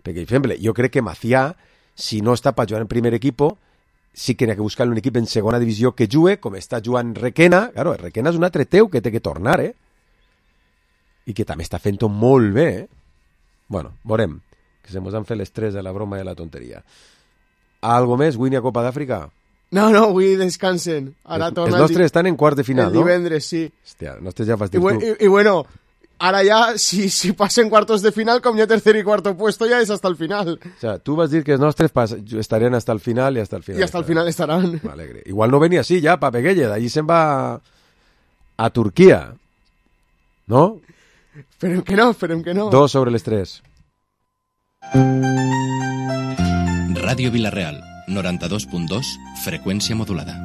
perquè, per exemple, jo crec que Macià, si no està per jugar en primer equipo, sí que n'hi ha que buscar un equip en segona divisió que jugue, com està jugant Requena. Claro, Requena és un altre teu que té que tornar, eh? I que també està fent-ho molt bé, eh? Bueno, veurem, que se mos han fet les tres de la broma i de la tonteria. Algo més? Avui n'hi ha Copa d'Àfrica? No, no, avui descansen. Ara els, els nostres estan en quarts de final, el no? El divendres, sí. Hòstia, els nostres ja fas dir I, tu. I, I bueno, ara ja, si, si passen cuartos de final, com hi ha tercer i cuarto puesto, ja és hasta el final. O sea, tu vas dir que els nostres pas, estarien hasta el final i hasta el final. I hasta el final estaran. M'alegre. Igual no venia així ja, pa Peguelle, d'allí se'n va a Turquia. No? Esperem que no, esperem que no. Dos sobre les tres. Ràdio Vilareal, noranta-dos punt dos, freqüència modulada.